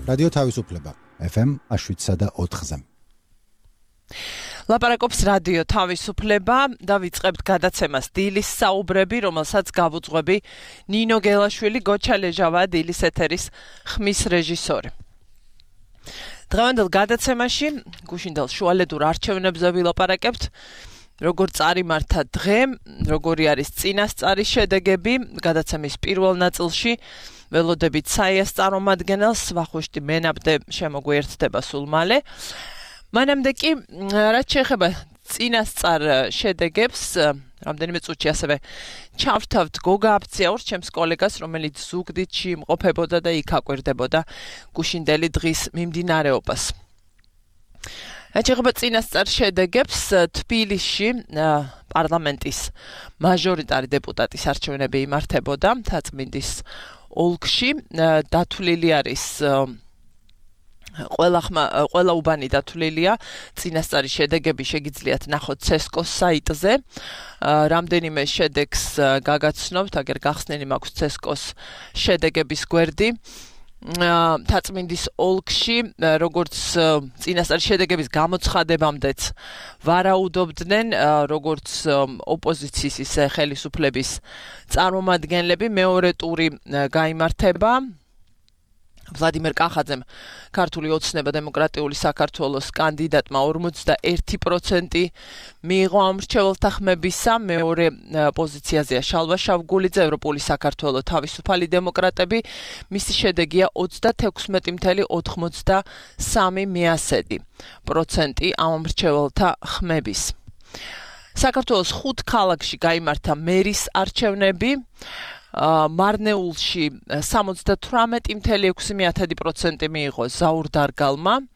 რადიო თავისუფლება FM 107.4-ზე. ლაპარაკობს რადიო თავისუფლება და ვიწყებთ გადაცემას დილის საუბრები, რომელსაც გავუძღვები ნინო გელაშვილი, გოჩა ლეჟავა, დილის ეთერის ხმის რეჟისორი. დღევანდელ გადაცემაში გუშინდელ შუალედურ არჩევნებზე ვილაპარაკებთ, როგორ წარიმართა დღე, როგორი არის წინასწარი შედეგები, გადაცემის პირველ ნაწილში ველოდებით საიას წარმომადგენელს, ვახუშტი მენაბდე შემოგვიერთდება სულ მალე. მანამდე კი, რაც შეეხება წინასწარ შედეგებს, რამდენიმე წუთში ასევე ჩავთავთ გოგა აფციაურს, ჩემს კოლეგას, რომელიც ზუგდიდში იმყოფებოდა და იქ აკვირდებოდა გუშინდელი დღის მიმდინარეობას. რაც შეეხება წინასწარ შედეგებს, თბილისში პარლამენტის მაჟორიტარი დეპუტატის არჩევნები იმართებოდა მთაწმინდის ოლქში, დათვლილი არის ყველა უბანი დათვლილია, წინასწარი შედეგები შეგიძლიათ ნახოთ CESCO-s საიტზე. რამდენიმე შედეგს გაგაცნობთ, აგერ გახსნილი მაქვს CESCO-s შედეგების გვერდი. მთაწმინდის ოლქში, როგორც წინასწარი შედეგების გამოცხადებამდეც ვარაუდობდნენ, როგორც ოპოზიციის ისე ხელისუფლების წარმომადგენლები, მეორე ტური გაიმართება. ვლადიმერ კახაძემ, ქართული ოცნება დემოკრატიული საქართველოს კანდიდატმა 41% მიიღო ამრჩეველთა ხმებისა, მეორე პოზიციაზეა შალვა შავგულიძე, ევროპული საქართველო თავისუფალი დემოკრატები, მისი შედეგია 36.83% ამრჩეველთა ხმების. საქართველოს 5 ქალაქში გაიმართა მერის არჩევნები, მარნეულში 78.6% მიიღო ზაურ დარგალმა.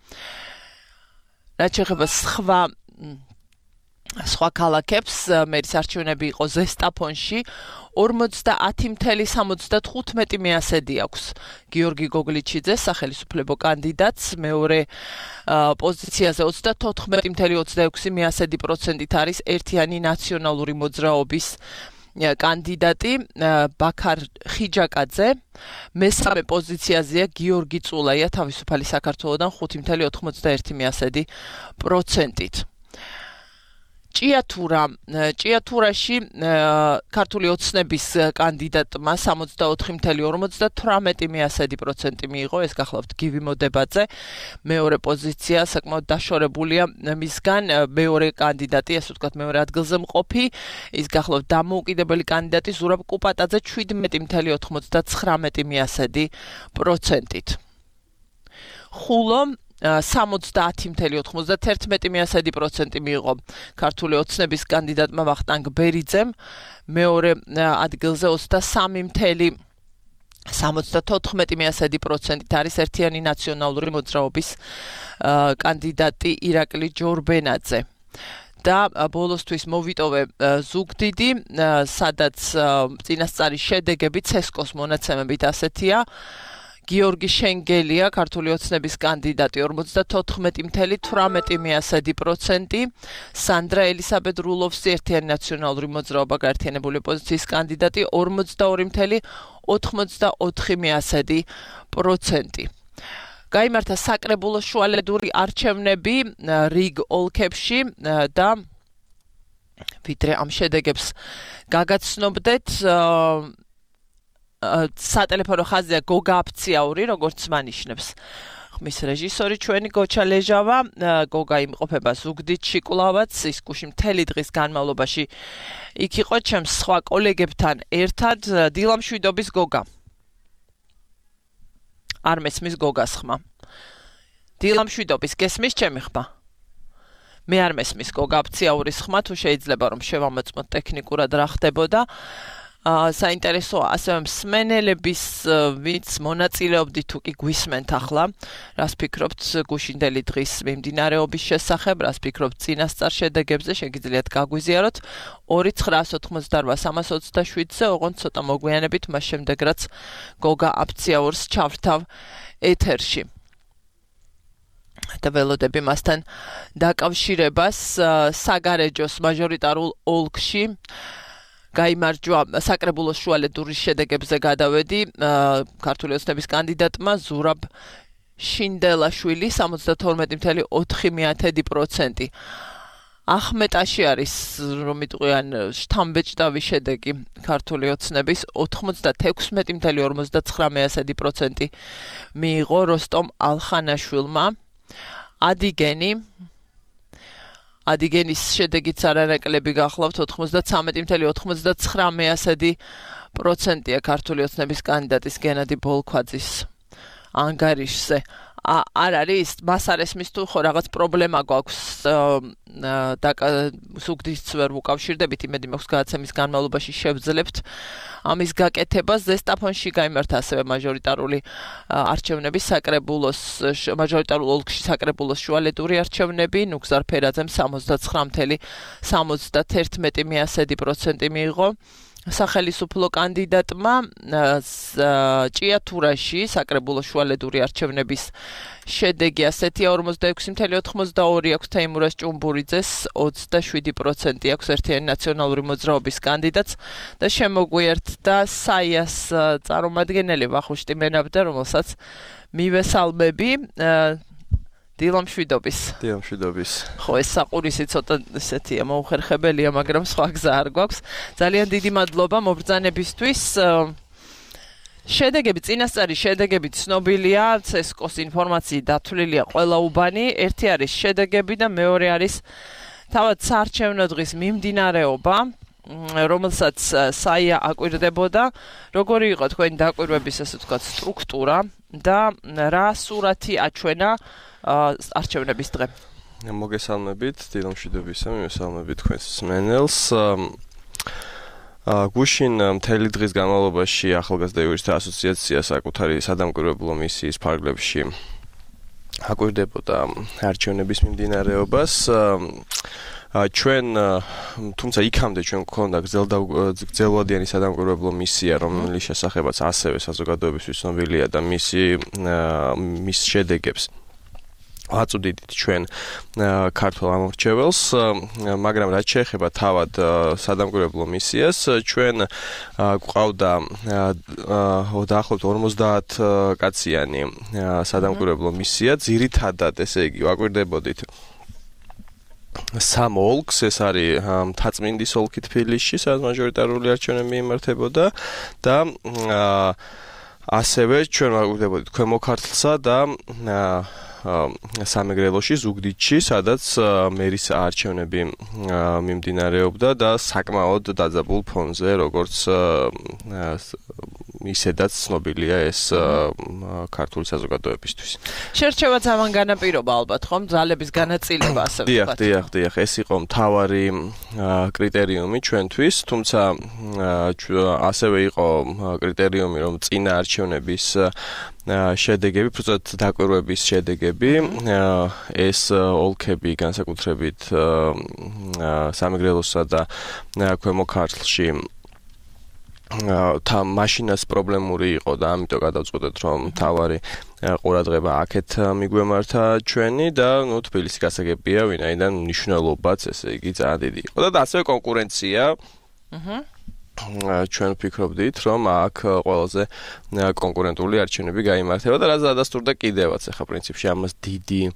რაც შეეხება სხვა ქალაქებს, მერის არჩევნები იყო ზესტაფონში, 50.75% აქვს გიორგი გოგლიჩიძეს, სახელისუფლებო კანდიდატს, მეორე პოზიციაზე 34.26% არის ერთიანი ნაციონალური მოძრაობის კანდიდატი ბაქარ ხიჯაკაძე, მესამე პოზიციაზეა გიორგი წულაია თავისუფალი საქართველოდან 5.91%. ჭიათურაში ქართული ოცნების კანდიდატმა 64.58% მიიღო, ეს გახლავთ გივი მოდებაძე, მეორე პოზიცია საკმაოდ დაშორებულია მისგან, მეორე კანდიდატი, ასე ვთქვათ, მეორე ადგილზე მყოფი, ის გახლავთ დამოუკიდებელი კანდიდატი ზურაბ კუპატაძე 17.91%. ხულო 70.91% მიიღო ქართული ოცნების კანდიდატმა ვახტანგ ბერიძემ, მეორე ადგილზე 23.74% არის ერთიანი ნაციონალური მოძრაობის კანდიდატი ირაკლი ჯორბენაძე. და ბოლოსთვის მოვიტოვე ზუგდიდი, სადაც წინასწარი შედეგები CESCO-s მონაცემებით ასეთია. გიორგი შენგელია, ქართული ოცნების კანდიდატი 54.18%, სანდრა ელისაბედ რულოვსი, ერთიანი ნაციონალური მოძრაობა გაერთიანებული ოპოზიციის კანდიდატი 42.84%. გაიმართა საკრებულოს შუალედური არჩევნები რიგ ოლქებში და ვიდრე ამ შედეგებს გაგაცნობდეთ, სატელეფონო ხაზია გოგა აფციაური, როგორც მანიშნებს ხმის რეჟისორი ჩვენი გოჩა ლეჟავა. გოგა იმყოფება ზუგდიდში კვლავაც, ის გუში მთელი დღის განმავლობაში იქ იყო ჩემს სხვა კოლეგებთან ერთად. დილამშვიდობის გოგა. არ მესმის გოგას ხმა. დილამშვიდობის, გესმის ჩემი ხმა? მე არ მესმის გოგა აფციაურის ხმა, თუ შეიძლება რომ შევამოწმოთ ტექნიკურად რა ხდებოდა. საინტერესოა ასევე მსმენელების ვინც მონაწილეობდით თუ კი გვისმენთ ახლა, რას ფიქრობთ გუშინდელი დღის მიმდინარეობის შესახებ, რას ფიქრობთ წინასწარ შედეგებზე, შეგიძლიათ გაგვიზიაროთ 2988327-ზე, ოღონდ ცოტა მოგვიანებით, მას შემდეგ რაც გოგა აფციაურს ჩავრთავ ეთერში. და ველოდები მასთან დაკავშირებას საგარეჯოს მაჟორიტარულ ოლქში გაიმარჯვა საკრებულოს შუალედურის შედეგებზე გადავედი ქართული ოცნების კანდიდატმა ზურაბ შინდელაშვილი 72.4%. ახმეტაში არის რომ იტყვიან შთამბეჭდავი შედეგი ქართული ოცნების 96.59% მიიღო როსტომ ალხანაშვილმა. ადიგენის შედეგიც არანაკლები გახლავთ 93.99%-ია ქართული ოცნების კანდიდატის გენადი ბოლქვაძის ანგარიშზე. არ არის მას არ ესმის თუ ხო რაღაც პრობლემა გვაქვს ზუგდიდს ვერ ვუკავშირდებით, იმედი მაქვს გადაცემის განმავლობაში შევძლებთ ამის გაკეთებას. ზესტაფონში გაიმართა ასევე მაჟორიტარული არჩევნების საკრებულოს მაჟორიტარულ ოლქში საკრებულოს შუალედური არჩევნები. ნუგზარ ფერაძემ 79.71% მიიღო. სახელმწიფო კანდიდატმა ჭიათურაში საკრებულოს შუალედური არჩევნების შედეგი ასეთია 46.82 აქვს თეიმურაზ ჭუმბურიძეს 27% აქვს ერთიანი ნაციონალური მოძრაობის კანდიდატს და შემოგვიერთდა საიას წარმომადგენელი ვახუშტი მენაბდა, რომელსაც მივესალმები. დილამშვიდობის. ხო, ეს საყურისი ცოტა ესეთია, მოუხერხებელია, მაგრამ სხვა გზა არ გვაქვს. ძალიან დიდი მადლობა მობრძანებისთვის. შედეგები, წინასწარი შედეგები ცნობილია, CSKO-ს ინფორმაციით დათვლილია ყველა უბანი. ერთი არის შედეგები და მეორე არის თავად საარჩევნო დღის მიმდინარეობა, რომელსაც საია აკვირდებოდა. როგორი იყო თქვენი დაკვირვების, ასე ვთქვათ, სტრუქტურა და რა სურათი აჩვენა არჩევნების დღე. მოგესალმებით, დილამშვიდობისა, მივესალმებით თქვენს მსმენელს. გუშინ მთელი დღის განმავლობაში ახალგაზრდა იურისტთა ასოციაცია საკუთარი სადამკვირვებლო მისიის ფარგლებში აკვირდებოდა არჩევნების მიმდინარეობას. ჩვენ თუმცა იქამდე ჩვენ გვქონდა გრძელვადიანი სადამკვირვებლო მისია, რომლის შესახებაც ასევე საზოგადოებისთვის ცნობილია და მის შედეგებს ვაწვდით ჩვენ ქართულ ამორჩეველს, მაგრამ რაც შეეხება თავად სადამკვირვებლო მისიას, ჩვენ გვყავდა დაახლოებით 50 კაციანი სადამკვირვებლო მისია, ძირითადად ესე იგი ვაკვირდებოდით სამ ოლქს, ეს არის მთაწმინდის ოლქი თბილისში, სადაც მაჟორიტარული არჩევნები იმართებოდა და ასევე ჩვენ ვაკვირდებოდით ქვემო ქართლსა და სამეგრელოში, ზუგდიდში, სადაც მერის არჩევნები მიმდინარეობდა და საკმაოდ დაძაბულ ფონზე, როგორც ისედაც ცნობილია ეს ქართული საზოგადოებისთვის. შერჩევა ძალიან განაპირობა ალბათ, ხომ? ძალების განაწილება ასე ვთქვათ. დიახ, ეს იყო მთავარი კრიტერიუმი ჩვენთვის, თუმცა ასევე იყო კრიტერიუმი, რომ წინა არჩევნების შედეგები, პროცენტ დაკვირვების შედეგები, ეს ოლქები განსაკუთრებით სამეგრელოსა და ქვემო ქართლში მაშინაც პრობლემური იყო და ამიტომ გადავწყვეტეთ, რომ მთავარი ყურადღება აქეთ მიგვემართა ჩვენი და თბილისი გასაგებია, ვინაიდან მნიშვნელობაც ესე იგი ძალიან დიდი იყო და ასევე კონკურენცია. ჩვენ ვფიქრობდით, რომ აქ ყველაზე კონკურენტული არჩევნები გაიმართება და რაც დადასტურდა კიდევაც ახლა პრინციპში ამას დიდი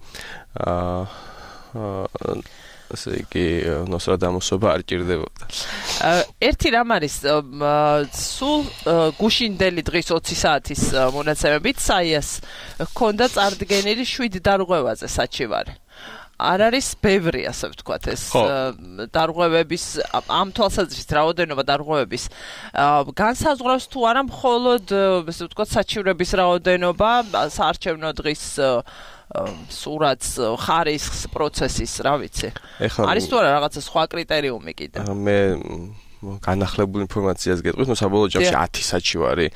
ასე იგი ნოსტრადამუსობა არ ჭირდებოდა. ერთი რამ არის სულ გუშინდელი დღის 20 საათის მონაცემებით საიას ჰქონდა წარდგენილი 7 დარღვევაზე საჩივარი. არ არის ბევრი, ასე ვთქვათ, ეს დარღვევების ამ თვალსაზრისით რაოდენობა დარღვევების განსაზღვრავს თუ არა მხოლოდ, ასე ვთქვათ, საჩივრების რაოდენობა, საარჩევნო დღის სურათს, ხარისხს, პროცესის, რა ვიცი. არის თუ არა რაღაცა სხვა კრიტერიუმი კიდე? მე განახლებულ ინფორმაციას გეტყვით, საბოლოო ჯამში 10 საჩივარი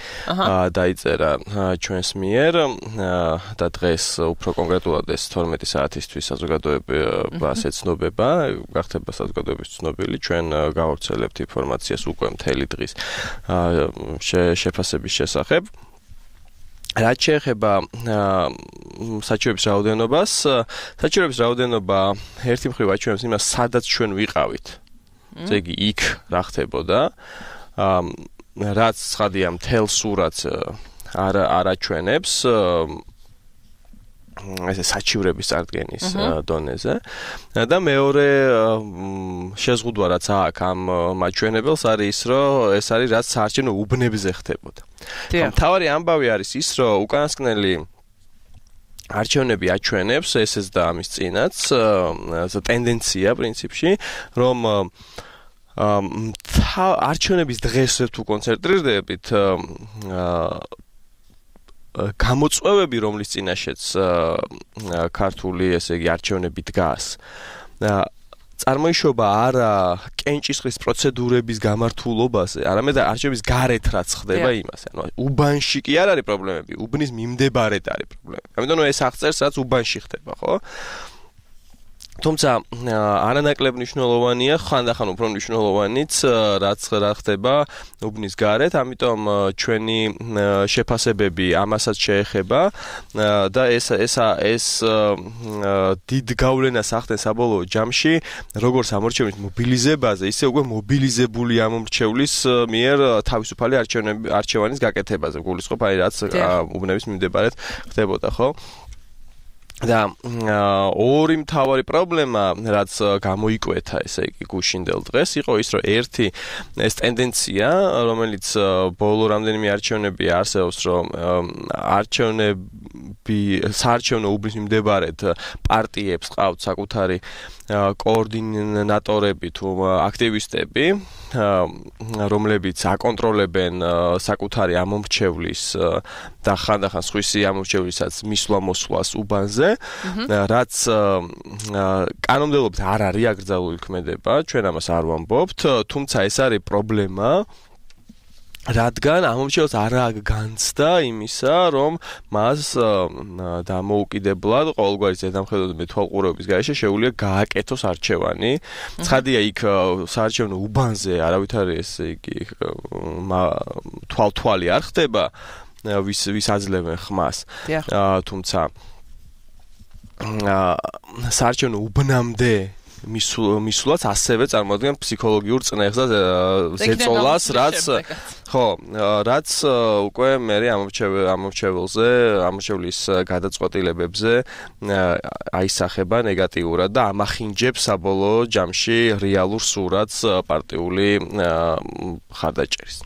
დაიწერა ჩვენს მიერ და დღეს უფრო კონკრეტულად ეს 12 საათისთვის საზოგადოებას ეცნობება, გახდება საზოგადოების ცნობილი, ჩვენ გავავრცელებთ ინფორმაციას უკვე მთელი დღის შეფასების შესახებ. რაც შეეხება საჩივრების რაოდენობას, საჩივრების რაოდენობა ერთი მხრივ აჩვენებს იმას, სადაც ჩვენ ვიყავით. ესე იგი, იქ რა ხდებოდა, რაც ცხადია მთელ სურათს არ აჩვენებს, ესე საჩივრების წარდგენის დონეზე და მეორე შეზღუდვა რაც აქვს ამ მაჩვენებელს არის ის რომ ეს არის რაც საარჩევნო უბნებზე ხდებოდა. მთავარი ამბავი არის ის რომ უკანასკნელი არჩევნები აჩვენებს ესეც და ამის წინაც ტენდენცია პრინციპში რომ არჩევნების დღეს თუ კონცენტრირდებით გამოწვევები რომლის წინაშეც ქართული ესე იგი არჩევნები დგას წარმოიშობა არა კენჭისყრის პროცედურების გამართულობაზე, არამედ არჩევნების გარეთ რაც ხდება იმაზე. ანუ უბანში კი არ არის პრობლემები, უბნის მიმდებარედ არის პრობლემები. ამიტომ ეს აღწერს რაც უბანში ხდება, ხო? თუმცა არანაკლებ მნიშვნელოვანია, ხანდახან უფრო მნიშვნელოვანიც რაც რა ხდება უბნის გარეთ, ამიტომ ჩვენი შეფასებები ამასაც შეეხება და ეს დიდ გავლენას ახდენს საბოლოო ჯამში, როგორც ამორჩევნის მობილიზებაზე, ისე უკვე მობილიზებული ამორჩევლის მიერ თავისუფალი არჩევანის გაკეთებაზე, გულისხმობ, აი რაც უბნების მიმდებარედ ხდებოდა, ხო? და ორი მთავარი პრობლემა რაც გამოიკვეთა ესე იგი გუშინდელ დღეს იყო ის რომ ერთი ეს ტენდენცია რომელიც ბოლო რამდენიმე არჩევნები არსებობს რომ საარჩევნო უბნის მიმდებარედ პარტიებს ყავთ საკუთარი კოორდინატორები თუ აქტივისტები რომლებიც აკონტროლებენ საკუთარი ამომრჩევლის და ხანდახან სხვისი ამომრჩევლისაც მისვლა-მოსვლას უბანზე რაც კანონმდებლობით არ არის აკრძალული ქმედება ჩვენ ამას არ ვამბობთ თუმცა ეს არის პრობლემა რადგან ამომრჩეველს არ აქვს განცდა იმისა, რომ მას დამოუკიდებლად ყოველგვარი ზედამხედველობის მეთვალყურეობის გარეშე შეუძლია გააკეთოს არჩევანი. ცხადია იქ საარჩევნო უბანზე არავითარი ესე იგი თვალთვალი არ ხდება, ვის აძლევენ ხმას. თუმცა საარჩევნო უბნამდე მისვლაც ასევე წარმოადგენს ფსიქოლოგიურ წნეხს და ზეწოლას, რაც უკვე მე ამორჩეველზე, ამორჩევლის გადაწყვეტილებებზე აისახება ნეგატიურად და ამახინჯებს საბოლოო ჯამში რეალურ სურათს პარტიული ხარდაჭერის.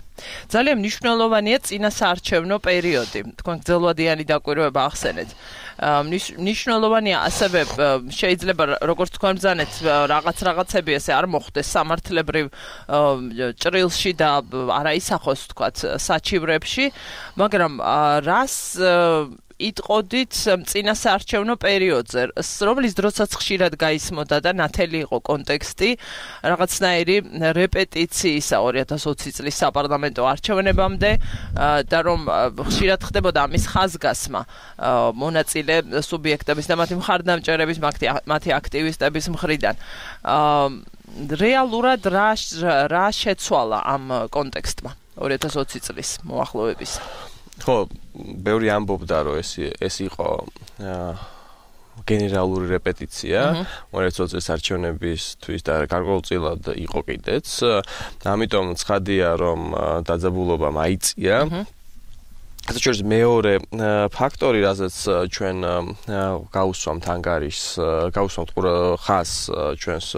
ძალიან მნიშვნელოვანია წინა საარჩევნო პერიოდი. თქვენ გრძელვადიანი დაკვირვება ახსენეთ. მნიშვნელოვანია ასევე შეიძლება როგორც თქვენ ბრძანეთ რაღაცები ესე არ მოხდეს სამართლებრივ ჭრილში და არა ისახოს თქვათ საჩივრებში, მაგრამ რას იტყოდით წინა საარჩევნო პერიოდზე, რომლის დროსაც ხშირად გაისმოდა და ნათელი იყო კონტექსტი რაღაცნაირი რეპეტიციისა 2020 წლის საპარლამენტო არჩევნებამდე და რომ ხშირად ხდებოდა ამის ხაზგასმა მონაწილე სუბიექტების და მათი მხარდამჭერების, მათი აქტივისტების მხრიდან. რეალურად რა შეცვალა ამ კონტექსტმა 2020 წლის მოახლოების? ხო, ბევრი ამბობდა, რომ ეს იყო გენერალური რეპეტიცია, 2020 წლის არჩევნებისთვის და გარკვეულწილად იყო კიდეც. ამიტომ ცხადია, რომ დაძაბულობა მაიწია. საერთოდ მეორე ფაქტორი, რაზეც ჩვენ გავუსვამთ ანგარიშს, გავუსვამთ ხას ჩვენს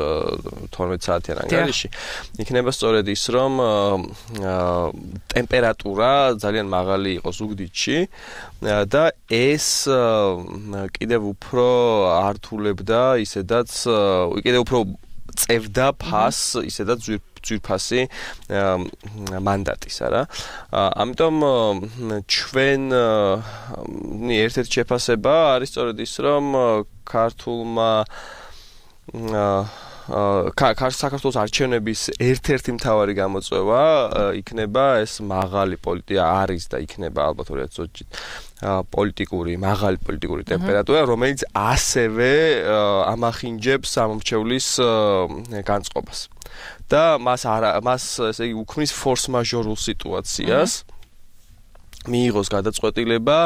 12 საათიან ანგარიში, იქნება სწორედ ის, რომ ტემპერატურა ძალიან მაღალი იყო ზუგდიდში და ეს კიდევ უფრო ართულებდა ისედაც კიდევ უფრო წევდა ფას ისედაც ძვირფასი მანდატის, არა? ამიტომ ჩვენ ერთ-ერთი შეფასება არის სწორედ ის, რომ საქართველოს არჩევნების ერთ-ერთი მთავარი გამოწვევა იქნება ეს მაღალი არის და იქნება ალბათ 2020 მაღალი პოლიტიკური ტემპერატურა, რომელიც ასევე ამახინჯებს ამორჩევლის განწყობას. და მას ესე იგი უქმნის ფორს-მაჟორულ სიტუაციას მიიღოს გადაწყვეტილება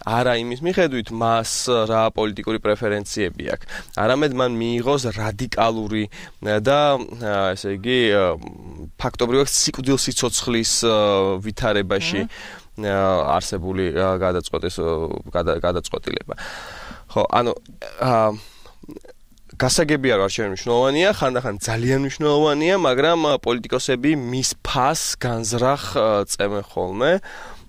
არა იმის მიხედვით მას რა პოლიტიკური პრეფერენციები აქვს, არამედ მან მიიღოს რადიკალური და ესე იგი ფაქტობრივად სიკვდილსიცოცხლის ვითარებაში არსებული გადაწყვეტილება. ხო, ანუ გასაგებია რომ არჩევნები მნიშვნელოვანია, ხანდახან ძალიან მნიშვნელოვანია, მაგრამ პოლიტიკოსები მის ფასს განზრახ წემენ ხოლმე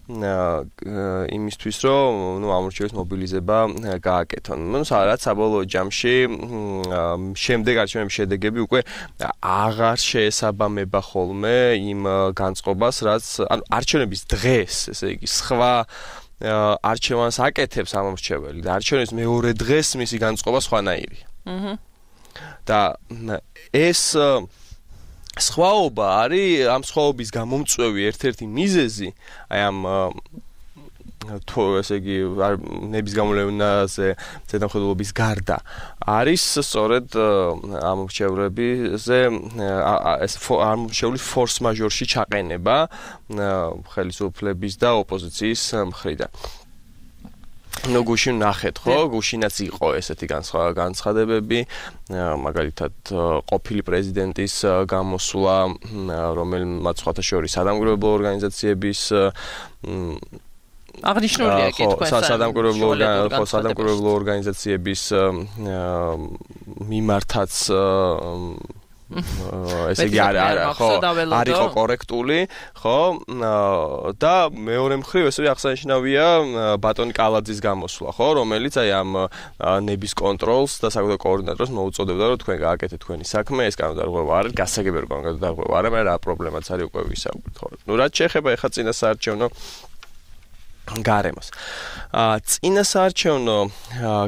იმისთვის რომ ამორჩევის მობილიზება გააკეთონ. რაც საბოლოო ჯამში შემდეგ არჩევნების შედეგები უკვე აღარ შეესაბამება ხოლმე იმ განწყობას, რაც ანუ არჩევნების დღეს, ესე იგი, სხვა არჩევანს აკეთებს ამორჩეველი და არჩევნების მეორე დღეს მისი განწყობა სხვანაირია. და ეს სხვაობა არის ამ სხვაობის გამომწვევი ერთ-ერთი მიზეზი, აი ამ ესე იგი ნების გამოვლენაზე ზედამხედველობის გარდა არის სწორედ ამორჩევრებზე ეს ამორჩევლის ფორს მაჟორში ჩაყენება ხელისუფლების და ოპოზიციის მხრიდან. ნუ გუშინ ნახეთ, ხო? გუშინაც იყო ესეთი განცხადებები, მაგალითად ყოფილი პრეზიდენტის გამოსვლა, რომელმაც სხვათა შორის სადამკვირვებლო ორგანიზაციების აღნიშნულია კი თქვენ სადამკვირვებლო ორგანიზაციების მიმართაც ესე იგი არ იყო კორექტული, ხო? და მეორე მხრივ ესე აღსანიშნავია ბატონი კალაძის გამოსვლა, ხო, რომელიც აი ამ ნების კონტროლს და საკუთარ კოორდინატორს მოუწოდებდა, რომ თქვენ გააკეთეთ თქვენი საქმე, ეს კანონდარღვევა არის, გასაგებია რომ კანონდარღვევა არის, მაგრამ რა პრობლემაც არის უკვე ვისაუბრეთ, ხო? ნუ რაც შეეხება ეხა წინასაარჩევნო გარემოს. წინასაარჩევნო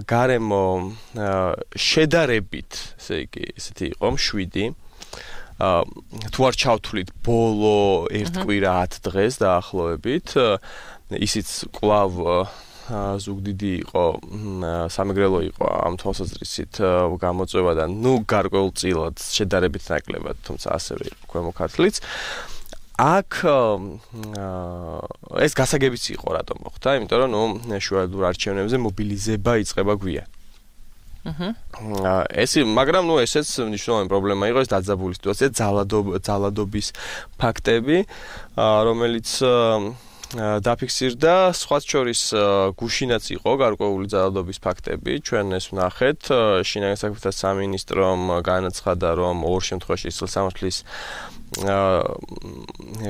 გარემო შედარებით, ესე იგი, ესეთი იყო 7. თუ არ ჩავთვლით ბოლო 1 კვირა 10 დღეს დაახლოებით, ისიც კვლავ ზუგდიდი იყო, სამეგრელო იყო ამ თვალსაზრისით გამოწვევა და ნუ გარკვეულწილად შედარებით ნაკლებად, თუმცა ასევე იყო ქვემო ქართლიც. აქ ეს გასაგებიც იყო რატომ მოხდა, იმიტომ რომ ნუ შუალედურ არჩევნებზე მობილიზება იწყება გვიან. მაგრამ ნუ ესეც მნიშვნელოვანი პრობლემა იყო, ეს დაძაბული სიტუაცია, ძალადობის ფაქტები, რომელიც დაფიქსირდა, სხვაც შორის გუშინაც იყო გარკვეული ძალადობის ფაქტები, ჩვენ ეს ვნახეთ, შინაგან საქმეთა სამინისტრომ განაცხადა, რომ ორ შემთხვევაში სილსამართლის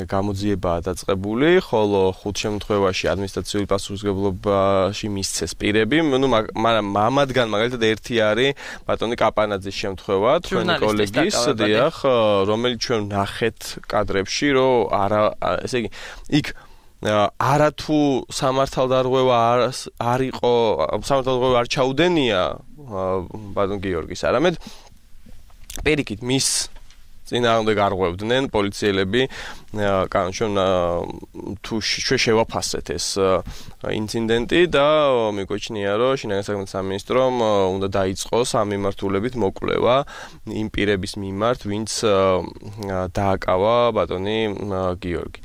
გამოძიებაა დაწყებული, ხოლო 5 შემთხვევაში ადმინისტრაციული პასუხისმგებლობაში მისცეს პირები, ნუ მაგრამ ამათგან მაგალითად ერთი არის ბატონი კაპანაძის შემთხვევა, თქვენი კოლეგის, დიახ, რომელიც ჩვენ ვნახეთ კადრებში, რომ არა, ესე იგი, იქ არათუ სამართალდარღვევა არ იყო, სამართალდარღვევა არ ჩაუდენია ბატონ გიორგის, არამედ პირიქით მის წინააღმდეგ არღვევდნენ პოლიციელები, კანონში თუ შევაფასეთ ეს ინციდენტი და მიგვეჩნია, რომ შინაგან საქმეთა სამინისტრომ უნდა დაიწყოს ამ მიმართულებით მოკვლევა იმ პირების მიმართ, ვინც დააკავა ბატონი გიორგი.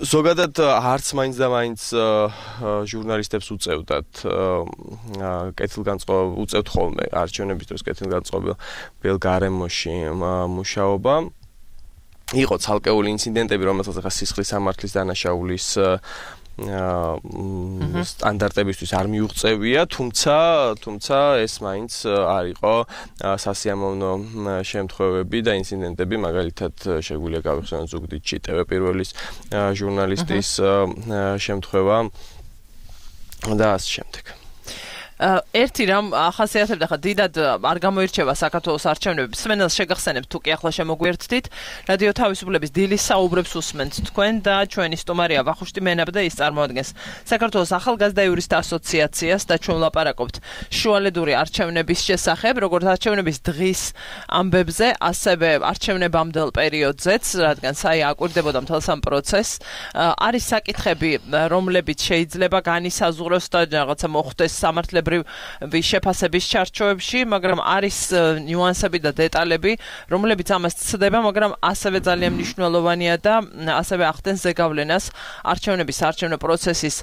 ზოგადად არც მაინც და მაინც ჟურნალისტებს უწევდათ კეთილგანწყობილ უწევთ ხოლმე არჩევნების დროს კეთილგანწყობილ გარემოში მუშაობა. იყო ცალკეული ინციდენტები, რომელსაც ახლა სისხლის სამართლის დანაშაულის სტანდარტებისთვის არ მიუღწევია, თუმცა ეს მაინც არ იყო სასიამოვნო შემთხვევები და ინციდენტები, მაგალითად შეგვიძლია გავიხსენოთ ზუგდიდში TV პირველის ჟურნალისტის შემთხვევა და ასე შემდეგ. ერთი რამ ახასიათებდა ხა დიდად არ გამოირჩევა საქართველოს არჩევნები. სვენელს შეგახსენებთ თუ კი ახლა შემოგვიერთდით. რადიო თავისუფლების დილის საუბრებს უსმენთ თქვენ და ჩვენი სტუმარია ვახუშტი მენაბ და ის წარმოადგენს საქართველოს ახალგაზრდა იურისტთა ასოციაციას და ჩვენ ვლაპარაკობთ შუალედური არჩევნების შესახებ, როგორც არჩევნების დღის ამბებზე, ასევე არჩევნებამდელ პერიოდზეც, რადგან საი აკვირდებოდა მთელს ამ პროცესს. არის საკითხები, რომლებიც შეიძლება განისაზღვროს და რაღაცა მოხდეს სამართლებრივ შეფასების ჩარჩოებში, მაგრამ არის ნიუანსები და დეტალები, რომლებიც ამას ცდება, მაგრამ ასევე ძალიან მნიშვნელოვანია და ასევე ახდენს ზეგავლენას არჩევნების არჩევნო პროცესის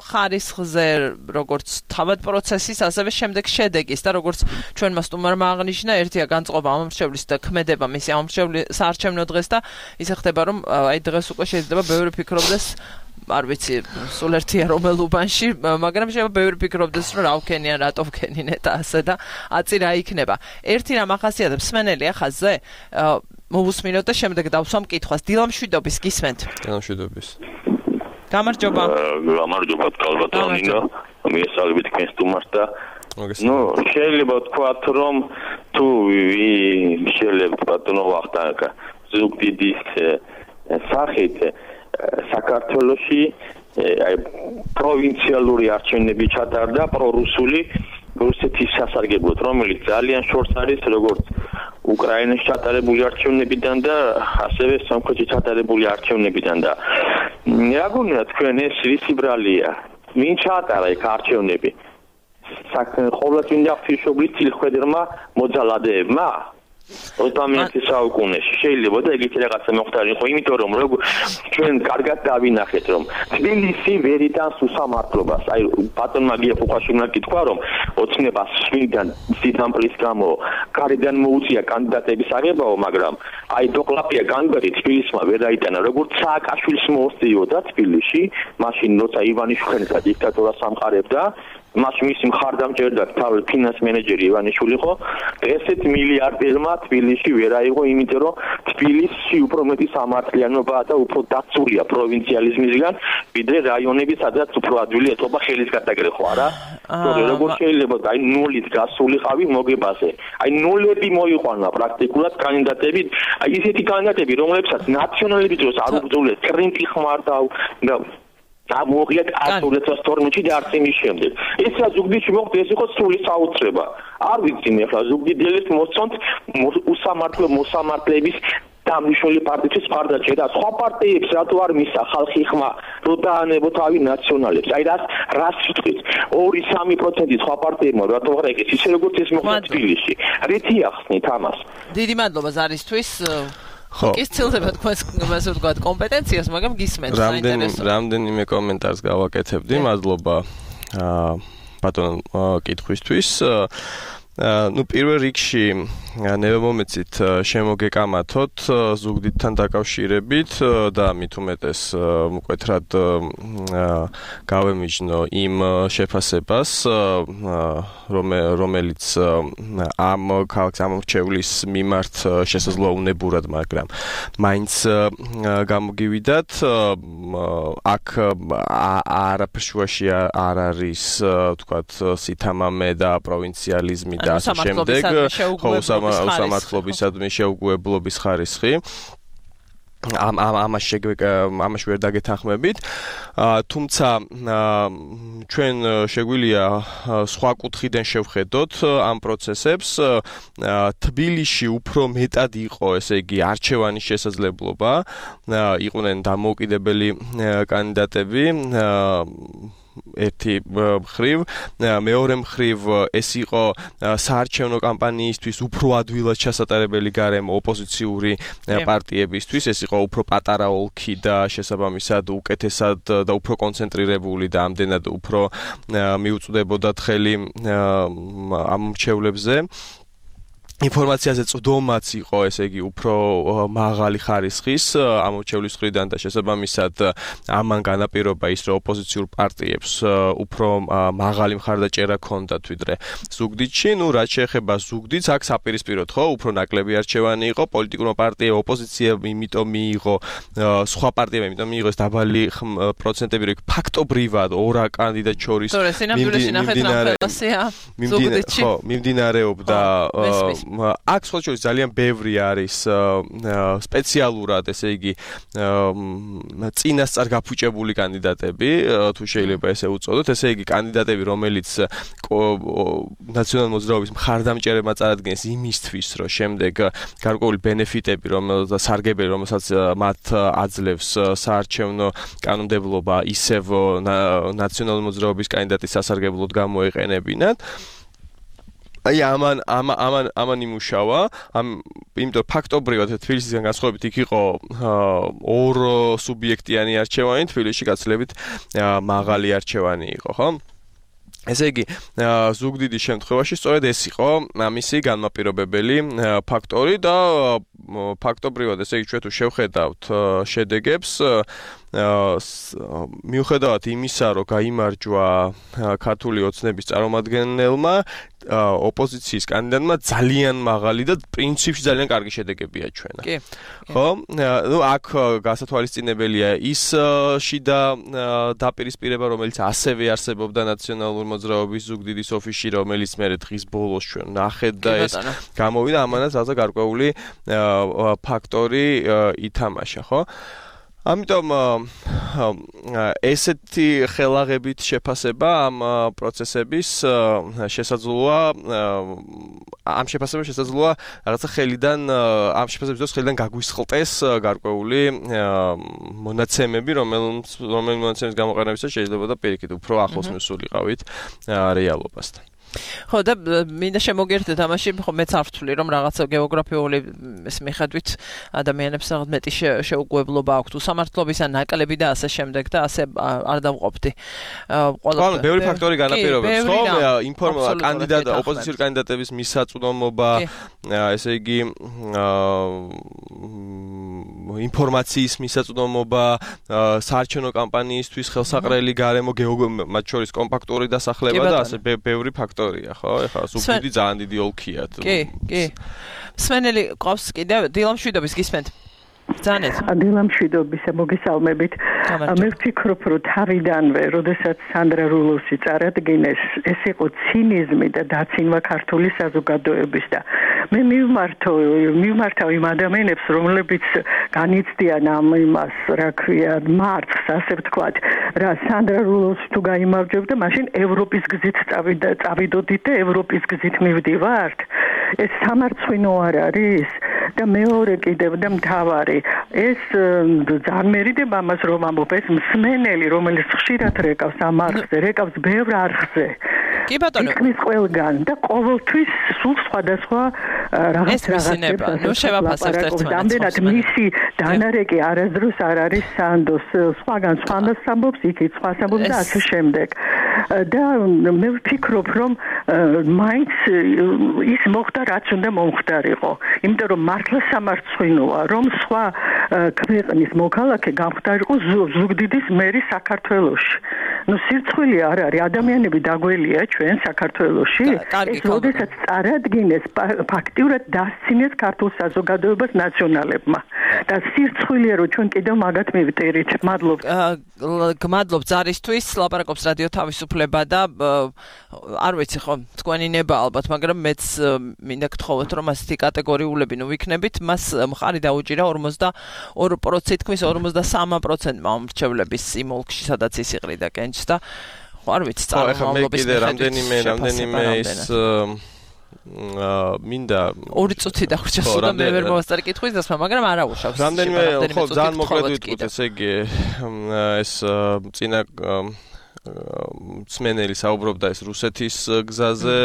ხარისხზე, როგორც თავად პროცესის, ასევე შემდეგ შედეგის და როგორც ჩვენმა სტუმარმა აღნიშნა, ერთია განწყობა ამორჩევლის და ქმედება მისი ამორჩევლის საარჩევნო დღეს და ისე ხდება, რომ აი დღეს უკვე შეიძლება ბევრი ფიქრობდეს არ ვიცი, სულ ერთია რომელ უბანში, მაგრამ შეიძლება ბევრი ფიქრობდეს, რომ რა ვქენიან, რატო ვქენინ და ასე და აწი რა იქნება. ერთი რამ ახასიათებს სმენელი ახაზზე, მოვუსმინოთ და შემდეგ დავსვამ კითხვას. დილამშვიდობის გისმენთ? დილამშვიდობის. გამარჯობა. გამარჯობა, კალბატონინო. მიესალმებით თქვენ სტუმარს და შეიძლება ვთქვათ, რომ თუ შეიძლება ბატონო ვახტანგა ზუგდიდის სახით საქართველოში პროვინციალური არჩევნები ჩატარდა პრორუსული რუსეთის სასარგებლოდ, რომელიც ძალიან შორს არის როგორც უკრაინაში ჩატარებული არჩევნებიდან და ასევე სომხეთში ჩატარებული არჩევნებიდან და რა გონია თქვენ ეს რისი ბრალია? ვინ ჩაატარა იქ არჩევნები? ყოველწლინა ღვთისმშობლის თილხვედრმა მოძალადეებმა 20 საუკუნეში შეიძლება და ეგეთი რაღაცა მოხდარიყო, იმიტომ რომ ჩვენ კარგად დავინახეთ რომ თბილისი ვერ იტანს უსამართლობას. აი ბატონმა გია ფუხაშვილმა კითხვა რომ ოცნებას შვილიდან სიტამპლის გამო გარედან მოუწია კანდიდატების აღებაო, მაგრამ აი დოკლაპია კანდიდატი თბილისმა ვერ აიტანა, როგორც სააკაშვილს მოუსწიოდა თბილისში, მაშინ როცა ივანიშვილმა დიქტატურას ამყარებდა მას მისი მხარდამჭერდა თავი ფინანს მენეჯერი ივანიშვილი ხო ესეთ მილიარდერმა თბილისში ვერ აიღო, იმიტომ რომ თბილისში უფრო მეტი სამართლიანობაა და უფრო დაცულია პროვინციალიზმისგან, ვიდრე რაიონები, სადაც უფრო ადვილი ეთობა ხელის გადაგრეხვა რა. როგორ შეიძლება აი ნულით გასულიყავი მოგებაზე. აი ნულები მოიყვანა პრაქტიკულად კანდიდატები, აი ისეთი კანდიდატები, რომლებსაც ნაციონალების დროს არ უბრძოლეს კრინტი ხმარდავ და ამოღიათ 2012-ში და არც იმის შემდეგ. ესა ზუგდიდში მოხდა, ეს იყო სრული საოცრება. არ ვიცი მე ხა ზუგდიდელებს მოსწონთ მოსამართლეების დამნიშნული პარტიის მხარდაჭერა. სხვა პარტიებს რატო არ მისცა ხალხი ხმა, რომ დაანებო თავი ნაციონალებს? აი რას ვიტყვით? 2-3% სხვა პარტიებმა რატო არ ეგეთ ისე როგორც ეს მოხდა თბილისში. რითი ახსნით ამას? დიდი მადლობა ზარისთვის. ის ცილდება თქვენს ასე ვთქვათ კომპეტენციას, მაგრამ გისმენთ საინტერესო. რამდენიმე კომენტარს გავაკეთებდი. მადლობა ბატონ კითხვისთვის. პირველ რიგში ნებამომეცით შემოგეკამათოთ ზუგდიდთან დაკავშირებით და მით უმეტეს მკვეთრად გავემიჯნო იმ შეფასებას, რომელიც ამ ქალაქის ამორჩევლის მიმართ შესაძლოა უნებურად, მაგრამ მაინც გამოგივიდათ. აქ არაფერშუაში არ არის ვთქვათ სითამამე და პროვინციალიზმი და ასე შემდეგ, უსამართლობისადმი შეუგუებლობის ხარისხი. ამაში ვერ დაგეთანხმებით. თუმცა ჩვენ შეგვიძლია სხვა კუთხიდან შევხედოთ ამ პროცესებს. თბილისში უფრო მეტად იყო, ესე იგი, არჩევანის შესაძლებლობა, იყვნენ დამოუკიდებელი კანდიდატები. ერთი მხრივ, მეორე მხრივ ეს იყო საარჩევნო კამპანიისთვის უფრო ადვილად ჩასატარებელი გარემო ოპოზიციური პარტიებისთვის, ეს იყო უფრო პატარა ოლქი და შესაბამისად უკეთესად და უფრო კონცენტრირებული და ამდენად უფრო მიუწვდებოდათ ხელი ამ მრჩევლებზე. ინფორმაციაზე წვდომაც იყო, ესე იგი, უფრო მაღალი ხარისხის ამორჩევლის მხრიდან და შესაბამისად ამან განაპირობა ის, რომ ოპოზიციურ პარტიებს უფრო მაღალი მხარდაჭერა ჰქონდათ ვიდრე ზუგდიდში. რაც შეეხება ზუგდიდს, აქ საპირისპიროდ ხო, უფრო ნაკლები არჩევანი იყო, პოლიტიკურმა პარტიებმა, ოპოზიციამ იმიტომ მიიღო, სხვა პარტიებმა იმიტომ მიიღო ეს დაბალი პროცენტები, რომ ფაქტობრივად ორ კანდიდატ შორის მიმდინარეობდა აქ სხვა შორის ძალიან ბევრი არის სპეციალურად, ესე იგი, წინასწარ გაფუჭებული კანდიდატები, თუ შეიძლება ესე უწოდოთ, ესე იგი, კანდიდატები, რომელიც ნაციონალურ მოძრაობის მხარდამჭერებმა წარადგენს იმისთვის, რომ შემდეგ გარკვეული ბენეფიტები, სარგებელი, რომელსაც მათ აძლევს საარჩევნო კანონმდებლობა, ისევ ნაციონალურ მოძრაობის კანდიდატის სასარგებლოდ გამოეყენებინათ. აი ამან იმუშავა, იმიტომ ფაქტობრივად თბილისისგან განსხვავებით იქ იყო ორ სუბიექტიანი არჩევანი, თბილისში გაცილებით მაღალი არჩევანი იყო, ხო? ესე იგი, ზუგდიდის შემთხვევაში სწორედ ეს იყო ამისი განმაპირობებელი ფაქტორი და ფაქტობრივად, ესე იგი, ჩვენ თუ შევხედავთ შედეგებს, მიუხედავად იმისა, რომ გაიმარჯვა ქართული ოცნების წარმომადგენელმა, ოპოზიციის კანდიდატმა ძალიან მაღალი და პრინციპში ძალიან კარგი შედეგები აჩვენა. ხო? ნუ აქ გასათვალისწინებელია ის შიდა დაპირისპირება, რომელიც ასევე არსებობდა ნაციონალური მოძრაობის ზუგდიდის ოფისში, რომელიც მერე დღის ბოლოს ჩვენ ნახეთ და ეს გამოვიდა, ამანაც რაღაცა გარკვეული ფაქტორი ითამაშა, ხო? ამიტომ ესეთი ხელაღებით შეფასება ამ პროცესების შესაძლოა ამ შეფასებას შესაძლოა რაღაცა ხელიდან ამ შეფასების დროს ხელიდან გაგვისხლტეს გარკვეული მონაცემები, რომელიც მონაცემის გამოყენებისას შეიძლება და პირიქით უფრო ახლოს მისულიყავით რეალობასთან. ხო და მინდა შემოგერთდეთ ამაში, ხო მეც არ ვთვლი, რომ რაღაცა გეოგრაფიული ეს მიხედვით ადამიანებს რაღაც მეტი შეუგუებლობა აქვთ უსამართლობის ან ნაკლები და ასე შემდეგ და ასე არ დავყოფდი. ყველა ბევრი ფაქტორი განაპირობებს, ხო? ოპოზიციური კანდიდატების მისაწვდომობა, ესე იგი ინფორმაციის მისაწვდომობა, საარჩევნო კამპანიისთვის ხელსაყრელი გარემო, მათ შორის კომპაქტური დასახლება და ასე ბევრი ფაქტორია, ხო? ეხლა ზუგდიდი ძალიან დიდი ოლქია. კი. სვენელი ყავს კიდევ დილამშვიდობის გისმენთ. Ძალიან. დილამშვიდობისა მოგესალმებით. მე ვფიქრობ, რომ თავიდანვე, როდესაც სანდრა რულოვსი წარადგინეს, ეს იყო ცინიზმი და დაცინვა ქართული საზოგადოების და მე მივმართავ იმ ადამიანებს, რომლებიც განიცდიან ამ იმას, რა ქვია, მარცხს, ასე ვთქვათ, რა სანდრა რულოვსი თუ გაიმარჯვებდა, მაშინ ევროპის გზით წავიდოდით და ევროპის გზით მივდივართ. ეს სამარცხვინო არ არის და მეორე კიდევ და მთავარი ეს ძალიან მერიდებ ამას რომ ამბობ ეს მსმენელი რომელიც ხშირად რეკავს ამ არხზე რეკავს ბევრ არხზე კი ბატონო ის ყველგან და ყოველთვის სულ სხვადასხვა რაღაცებს ნუ შევაფასებთ ერთმანეთს ამდენად მისი დანარეკი არასდროს არ არის სანდოს სხვაგან სხვას ამბობს იქით სხვას ამბობს და ასე შემდეგ და მე ვფიქრობ რომ მაინც ის მოხდა რაც უნდა მომხდარიყო იმიტომ რომ მართლა სამარცხვინოა რომ სხვა ქვეყნის მოქალაქე გამხდარიყო ზუგდიდის მერი საქართველოში ნუ სირცხვილი არ არის ადამიანები დაგველია ჩვენ საქართველოში ეს როდესაც წარადგინეს ფაქტიურად დასცინეს ქართულ საზოგადოებას ნაციონალებმა და სირცხვილია რომ ჩვენ კიდევ მაგათ მივწერით გმადლობ ზარისთვის ლაპარაკობს რადიო თავისუფლება და არ ვიცი ხო თქვენი ნება ალბათ მაგრამ მეც მინდა გთხოვოთ რომ ასეთი კატეგორიულები ნუ ვიქნებით მას მხარი დაუჭირა 42% თქმის 53%-მა მომრჩევლების იმ ოლქში სადაც ის იყრიდა კენჭს და ხო არ ვიცი წარმომავლობის რამდენიმე ის მინდა 2 წუთი დავრჩა სულ და მე ვერ მოვასწარი კითხვის დასმა მაგრამ არა უშავს რამდენიმე ხო ძალიან მოკლედ ვიტყვით ესე იგი ეს წინა მსმენელი საუბრობდა ეს რუსეთის გზაზე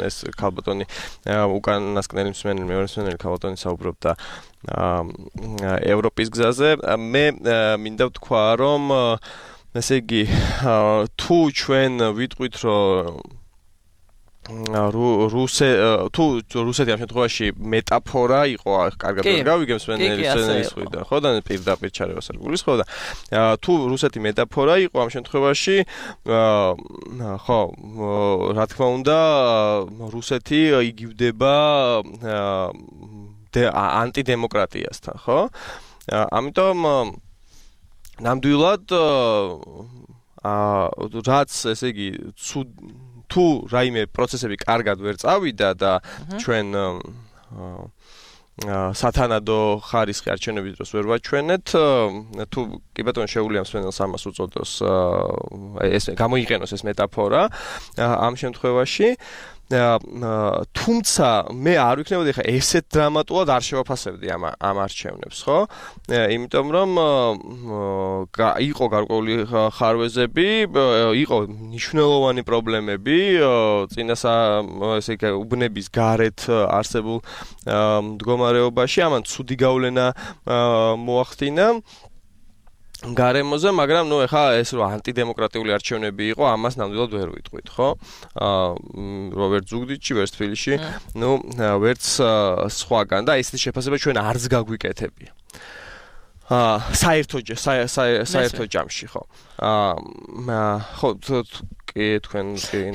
ეს ქალბატონი უკანასკნელი მსმენელი მეორე მსმენელი ქალბატონი საუბრობდა ევროპის გზაზე მე მინდა ვთქვა რომ ესე იგი თუ ჩვენ ვიტყვით რომ რუსეთი ამ შემთხვევაში მეტაფორა იყო კარგად გავიგებს სვენელის ხვიდა ხო და პირდაპირ ჩარევას არ გულისხმობ და თუ რუსეთი მეტაფორა იყო ამ შემთხვევაში ხო რა თქმა უნდა რუსეთი იგივდება ანტიდემოკრატიასთან ხო ამიტომ ნამდვილად რაც ესე იგი თუ რაიმე პროცესები კარგად ვერ წავიდა და ჩვენ სათანადო ხარისხი არჩევნების დროს ვერ ვაჩვენეთ თუ კი ბატონო შეუძლია მსმენელს ამას უწოდოს ეს გამოიყენოს ეს მეტაფორა ამ შემთხვევაში თუმცა მე არ ვიქნებოდი ხა ესეთ დრამატულად არ შევაფასებდი ამ არჩევნებს ხო იმიტომ რომ იყო გარკვეული ხარვეზები იყო მნიშვნელოვანი პრობლემები წინასა ესე იგი უბნების გარეთ არსებულ მდგომარეობაში ამან ცუდი გავლენა მოახდინა გარემოზე, მაგრამ ნუ ეხა ეს რო ანტიდემოკრატიული არჩევნები იყო, ამას ნამდვილად ვერ ვიტყვით, ხო? რობერტ ზუგდიდში, ვერც თბილისში, ნუ ვერც სხვაგან და ესეთი შეფასება ჩვენ არც გაგვიკეთებია. საერთო ჯამში, ხო. ხო, თქვენ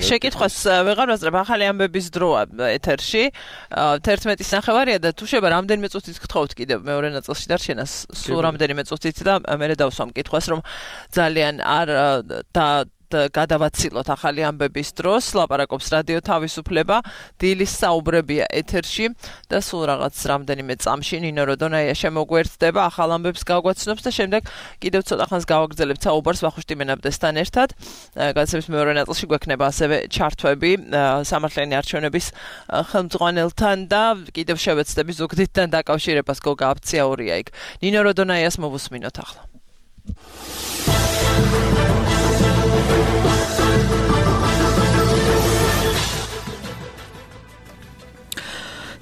შეკითხვას ვეღარ ვაძლევ, ახალი ამბების დროა ეთერში 11-ის ნახევარია და თუ შეიძლება რამდენიმე წუთით გთხოვთ კიდევ მეორე ნაწილში დარჩენა სულ რამდენიმე წუთით და მე დავსვამ კითხვას რომ ძალიან არ გადავაცილოთ ახალი ამბების დროს, ლაპარაკობს რადიო თავისუფლება, დილის საუბრებია ეთერში და სულ რაღაც რამდენიმე წამში ნინო როდონაია შემოგვერთდება, ახალ ამბებს გავგვაცნობს და შემდეგ კიდევ ცოტა ხანს გავაგრძელებთ საუბარს ვახუშტი მენაბდეს-თან ერთად. გადაცემის მეორე ნაწილში გვექნება ასევე ჩართვები სამართლიანი არჩევნების ხელმძღვანელთან და კიდევ შევეცდები ზუგდიდთან დაკავშირებას გოგა აფციაურია იქ. ნინო როდონაიას მოვუსმინოთ ახლა.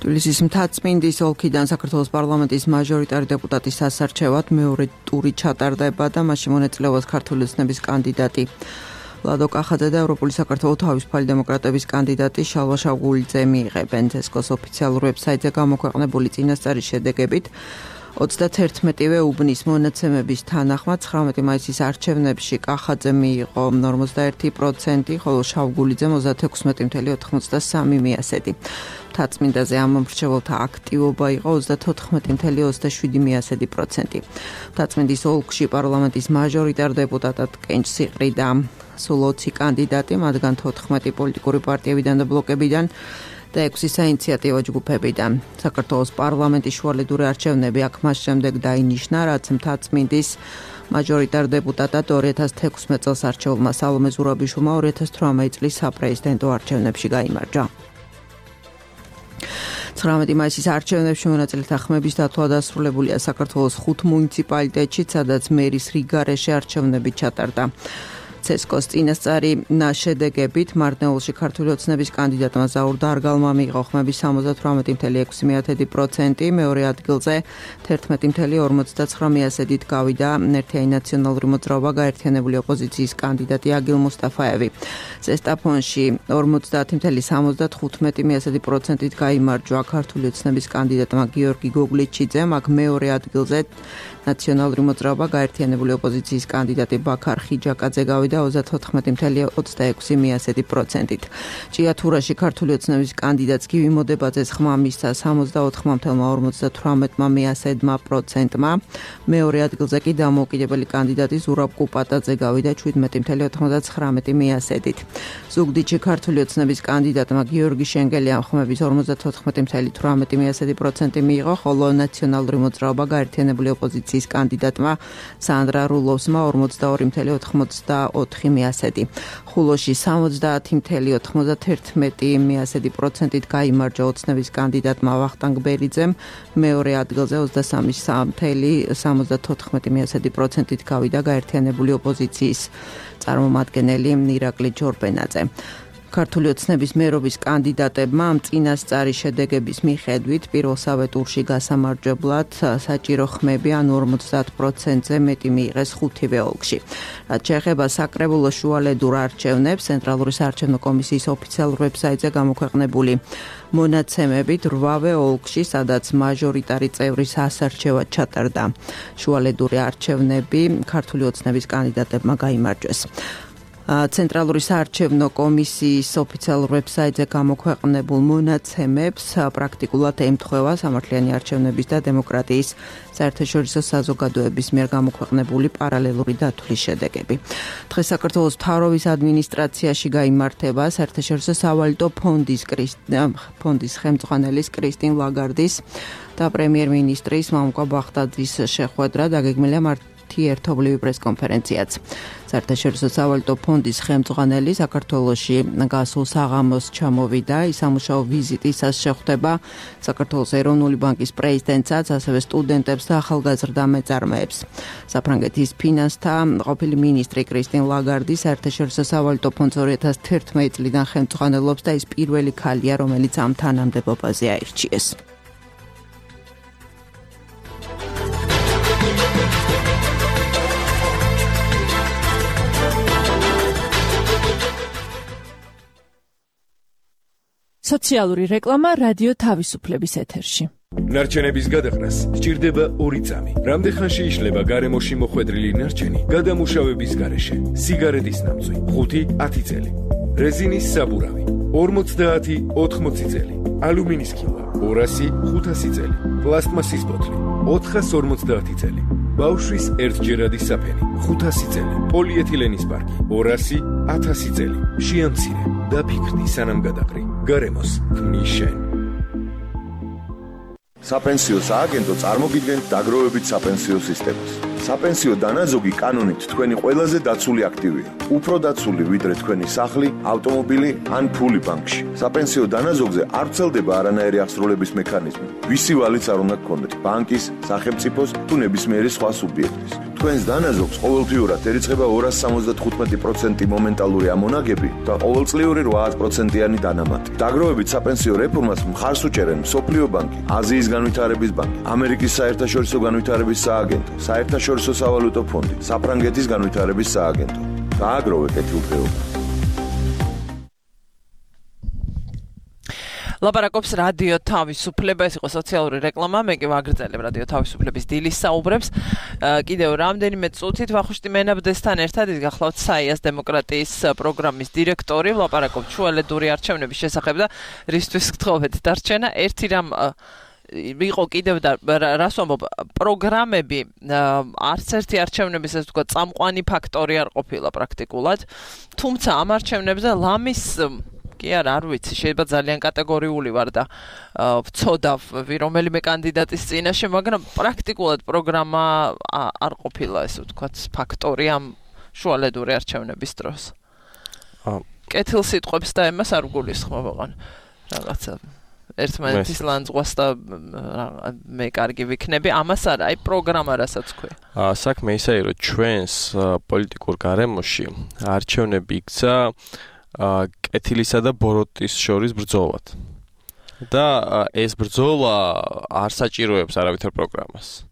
თბილისის მთაწმინდის ოლქიდან საქართველოს პარლამენტის მაჟორიტარი დეპუტატის სასარჩევად მეორე ტური ჩატარდება და მასში მონაწილეობს ქართული ოცნების კანდიდატი ლადო კახაძე და ევროპული საქართველოს თავისუფალი დემოკრატების კანდიდატი შალვა შავგულიძე მიიღებენ. ცესკოს ოფიციალურ ვებსაიტზე გამოქვეყნებული წინასწარის შედეგებით 31-ვე უბნის მონაცემების თანახმად 19 მაისის არჩევნებში კახაძე მიიღო 41%, ხოლო შავგულიძე 36.93 მიასედი. მთაწმინდაზე ამ მომრჩეველთა აქტივობა იყო 34.27%. მთაწმინდის ოლქში პარლამენტის მაჟორიტარ დეპუტატად კენჭს იყრიდა სულ 20 კანდიდატი, მათგან 14 პოლიტიკური პარტიებიდან და ბლოკებიდან და 6 საინიციატივო ჯგუფებიდან. საქართველოს პარლამენტის შუალედური არჩევნები აქ მას შემდეგ დაინიშნა, რაც მთაწმინდის მაჟორიტარ დეპუტატად 2016 წელს არჩეულმა სალომე ზურაბიშვილმა 2018 წლის საპრეზიდენტო არჩევნებში გაიმარჯვა. 19 მაისის არჩევნებში მონაწილეთა ხმების დათვლა დასრულებულია საქართველოს 5 მუნიციპალიტეტში, სადაც მერის რიგარეშე არჩევნები ჩატარდა. ცესკოს წინასწარი შედეგებით მარნეულში ქართული ოცნების კანდიდატმა ზაურ დარგალმა მიიღო ხმების 78.6%, მეორე ადგილზე 11.59%-ით გავიდა ერთიანი ნაციონალური მოძრაობა გაერთიანებული ოპოზიციის კანდიდატი აგილ მუსტაფაევი. ზესტაფონში 50.75%-ით გაიმარჯვა ქართული ოცნების კანდიდატმა გიორგი გოგლიჩიძემ, აქ მეორე ადგილზე ნაციონალური მოძრაობა გაერთიანებული ოპოზიციის კანდიდატი ბაქარ ხიჯაკაძე გავიდა 34.26%-ით. ჭიათურაში ქართული ოცნების კანდიდატს გივი მოდებაძეს ხმა მისცა 64.58%-მა, მეორე ადგილზე კი დამოუკიდებელი კანდიდატი ზურაბ კუპატაძე გავიდა 17.99%-ით. ზუგდიდში ქართული ოცნების კანდიდატმა გიორგი შენგელიამ ხმების 54.18% მიიღო, ხოლო ნაციონალური მოძრაობა გაერთიანებული ოპოზიციის კანდიდატმა სანდრა რულოვსმა 42.84%. ხულოში 70.91%-ით გაიმარჯვა ოცნების კანდიდატმა ვახტანგ ბერიძემ, მეორე ადგილზე 23.74%-ით გავიდა გაერთიანებული ოპოზიციის წარმომადგენელი ირაკლი ჯორბენაძე. ქართული ოცნების მერობის კანდიდატებმა ამ წინასწარი შედეგების მიხედვით პირველსავე ტურში გასამარჯვებლად საჭირო ხმები ანუ 50%-ზე მეტი მიიღეს ხუთივე ოლქში. რაც შეეხება საკრებულო შუალედურ არჩევნებს, ცენტრალური საარჩევნო კომისიის ოფიციალურ ვებსაიტზე გამოქვეყნებული მონაცემებით 8-ვე ოლქში, სადაც მაჟორიტარი წევრის ასარჩევად ჩატარდა შუალედური არჩევნები, ქართული ოცნების კანდიდატებმა გაიმარჯვეს. ცენტრალური საარჩევნო კომისიის ოფიციალურ ვებსაიტზე გამოქვეყნებულ მონაცემებს პრაქტიკულად ემთხვევა სამართლიანი არჩევნების და დემოკრატიის საერთაშორისო საზოგადოების მიერ გამოქვეყნებული პარალელური დათვლის შედეგები. დღეს საქართველოს მთავრობის ადმინისტრაციაში გაიმართება საერთაშორისო სავალუტო ფონდის ხელმძღვანელის კრისტინ ლაგარდის და პრემიერ-მინისტრის მამუკა ბახტაძის შეხვედრა დაგეგმილია ერთობლივი პრესკონფერენციაც. საერთაშორისო სავალუტო ფონდის ხელმძღვანელი საქართველოში გასულ საღამოს ჩამოვიდა, ისამუშაო ვიზიტისას შეხვდება საქართველოს ეროვნული ბანკის პრეზიდენტსაც, ასევე სტუდენტებს და ახალგაზრდა მეწარმეებს. საფრანგეთის ფინანსთა ყოფილი მინისტრი კრისტინ ლაგარდი საერთაშორისო სავალუტო ფონდს 2011 წლიდან ხელმძღვანელობს და ის პირველი ქალია, რომელიც ამ თანამდებობაზე აირჩიეს. სოციალური რეკლამა რადიო თავისუფლების ეთერში. ნარჩენების გადაყრას სჭირდება 2 წამი. რამდენხანში იშლება გარემოში მოხვედრილი ნარჩენი გადამუშავების გარეშე? სიგარეტის ნამწვი 5-10 წელი. რეზინის საბურავი 50-80 წელი. ალუმინის ქილვა 200-500 წელი. პლასტმასის ბოთლი 450 წელი. ბავშვის ერთჯერადი საფენი 500 წელი. პოლიეთილენის პარკი 200-1000 წელი. შეამცირე და ფიქრდი სანამ გადაყრი. გარემოს ქმნის შენ. საპენსიო სააგენტო წარმოგიდგენთ დაგროვებით საპენსიო სისტემას. საპენსიო დანაზოგი კანონით თქვენი ყველაზე დაცული აქტივია. უფრო დაცული ვიდრე თქვენი სახლი, ავტომობილი ან ფული ბანკში. საპენსიო დანაზოგზე არ ვრცელდება არანაირი აღსრულების მექანიზმი. ვისი ვალიც არ უნდა გქონდეთ, ბანკის, სახელმწიფოს თუ ნებისმიერი სხვა სუბიექტის. თქვენს დანაზოგს ყოველთვიურად ერიცხება 275% მომენტალური ამონაგები და ყოველწლიური 8%-იანი დანამატი. დაგროვებით საპენსიო რეფორმას მხარს უჭერენ მსოფლიო ბანკი, აზიის განვითარების ბანკი, ამერიკის საერთაშორისო განვითარების სააგენტო, საერთაშორისო სავალუტო ფონდი, საფრანგეთის განვითარების სააგენტო. გააგროვე კეთილდღეობა. ლაპარაკობს რადიო თავისუფლება, ეს იყო სოციალური რეკლამა, მე კი ვაგრძელებ რადიო თავისუფლების დილის საუბრებს. კიდევ რამდენიმე წუთით ვახუშტი მენაბძესთან ერთად ის გახლავთ საიას დემოკრატიის პროგრამის დირექტორი, ლაპარაკობთ შუალედური არჩევნების შესახებ და რისთვის გთხოვეთ დარჩენა. ერთი რამ იყო კიდევ და რას ვამბობ, პროგრამები არც ერთი არჩევნების ეს თქვა წამყვანი ფაქტორი არ ყოფილა პრაქტიკულად, თუმცა ამ არჩევნებზე ლამის კი არ ვიცი, შეიძლება ძალიან კატეგორიული ვარ და ვწოდავ რომელიმე კანდიდატის წინაშე, მაგრამ პრაქტიკულად პროგრამა არ ყოფილა ეს ვთქვათ ფაქტორი ამ შუალედური არჩევნების დროს. კეთილ სიტყვებს და ემას არ გულისხმობ ოღონ რაღაცა ერთმანეთის ლანძღვას და მე კარგი ვიქნები, ამას არა, აი პროგრამა რასაც ქვია. საქმე ისაა, რომ ჩვენს პოლიტიკურ გარემოში არჩევნები იქცა კეთილისა და ბოროტის შორის ბრძოლად. და ეს ბრძოლა არ საჭიროებს არავითარ პროგრამას.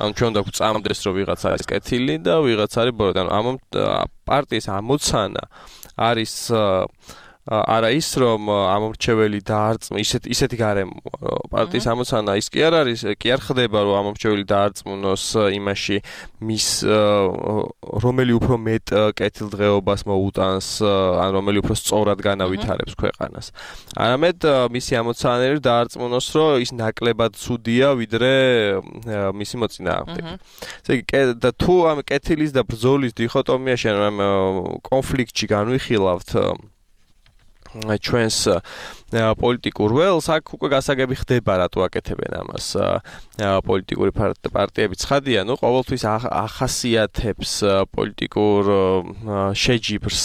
ანუ ჩვენ უნდა გვწამდეს, რომ ვიღაც არის კეთილი და ვიღაც არის ბოროტი. ანუ ამ პარტიის ამოცანა არის არა ის, რომ ამომრჩეველი დაარწმუნოს, ისეთი გარემო პარტიის ამოცანა ის კი არ არის, კი არ ხდება, რომ ამომრჩეველი დაარწმუნოს იმაში, მის რომელი უფრო მეტ კეთილდღეობას მოუტანს, ან რომელი უფრო სწორად განავითარებს ქვეყანას. არამედ მისი ამოცანები დაარწმუნოს, რომ ის ნაკლებად ცუდია, ვიდრე მისი მოწინააღმდეგე. ესე იგი, და თუ ამ კეთილის და ბრძოლის დიქოტომიაში, ამ კონფლიქტში განვიხილავთ ჩვენს პოლიტიკურ ველს, აქ უკვე გასაგები ხდება, რატო აკეთებენ ამას პოლიტიკური პარტიები. ცხადია, ნუ ყოველთვის ახასიათებს პოლიტიკურ შეჯიბრს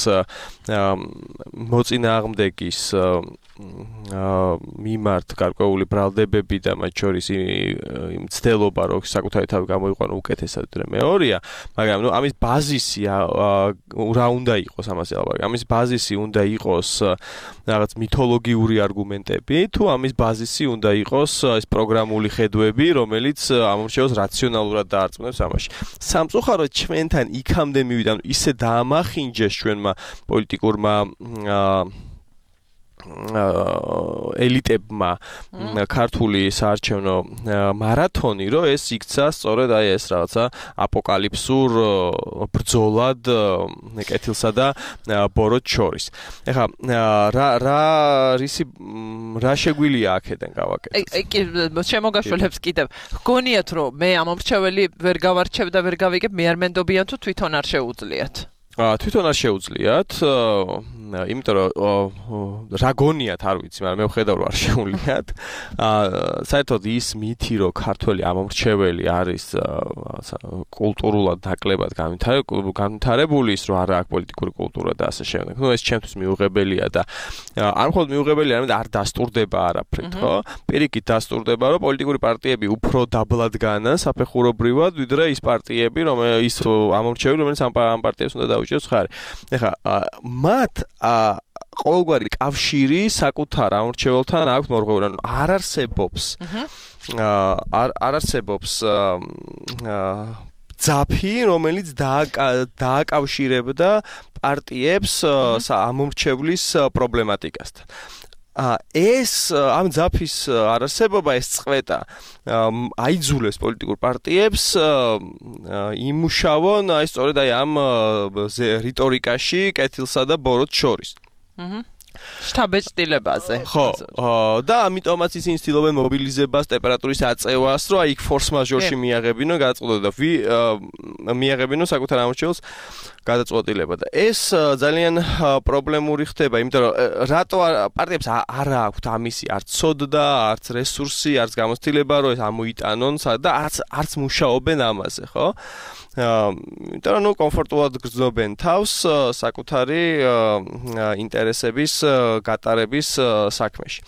მოწინააღმდეგის მიმართ გარკვეული ბრალდებები და მათ შორის იმ ცდელობა, რომ საკუთარი თავი გამოიყვანო უკეთესად ვიდრე მეორეა, მაგრამ ნუ ამის ბაზისი რა უნდა იყოს ამაზე ლაპარაკი. ამის ბაზისი უნდა იყოს რაღაც მითოლოგიური არგუმენტები, თუ ამის ბაზისი უნდა იყოს ეს პროგრამული ხედვები, რომელიც ამომრჩეველს რაციონალურად დაარწმუნებს ამაში. სამწუხაროდ ჩვენთან იქამდე მივიდა, ისე დაამახინჯეს ჩვენმა პოლიტიკურმა ელიტებმა ქართული საარჩევნო მარათონი, რომ ეს იქცა სწორედ აი ეს რაღაცა აპოკალიფსურ ბრძოლად კეთილსა და ბოროტს შორის. ეხლა რა შეგვიძლია აქედან გავაკეთოთ? კი შემოგაშველებს კიდევ. გგონიათ, რომ მე ამომრჩეველი ვერ გავარჩევ და ვერ გავიგებ, მე არ მენდობიან თუ თვითონ არ შეუძლიათ? თვითონ არ შეუძლიათ, იმიტომ რომ რა გონიათ არ ვიცი, მაგრამ მე ვხედავ რომ არ შეუძლიათ. საერთოდ ის მითი, რომ ქართველი ამომრჩეველი არის კულტურულად ნაკლებად განვითარებული, ის რომ არ აქვს პოლიტიკური კულტურა და ასე შემდეგ. ნუ ეს ჩემთვის მიუღებელია და არ მხოლოდ მიუღებელია, არამედ არ დასტურდება არაფრით, ხო? პირიქით დასტურდება, რომ პოლიტიკური პარტიები უფრო დაბლად განან საფეხურობრივად, ვიდრე ის პარტიები, ის ამომრჩეველი, რომელიც ამ პარტიებს უნდა დაუჭიროს ხარი. ეხლა მათ ყოველგვარი კავშირი საკუთარ ამორჩეველთან აქვს მორღვეული, ანუ არ არსებობს ძაფი, რომელიც დააკავშირებდა პარტიებს ამორჩევლის პრობლემატიკასთან. ეს ამ ძაფის არარსებობა ეს წყვეტა აიძულებს პოლიტიკურ პარტიებს იმუშავონ აი სწორედ აი ამ რიტორიკაში კეთილსა და ბოროტს შორის. შტაბეჭდილებაზე. ხო, და ამიტომაც ისინი ცდილობენ მობილიზებას, ტემპერატურის აწევას, რომ აი ფორს მაჟორში მიაღებინონ გადაწყვეტილება და მიაღებინონ საკუთარ ამორჩეულს გადაწყვეტილება და ეს ძალიან პრობლემური ხდება, იმიტომ რომ რატო პარტიებს არ აქვთ ამისი არც ცოდნა, არც რესურსი, არც გამოცდილება, რომ ეს ამოიტანონ და არც მუშაობენ ამაზე, ხო? იმიტომ რომ კომფორტულად გრძნობენ თავს საკუთარი ინტერესების გატარების საქმეში.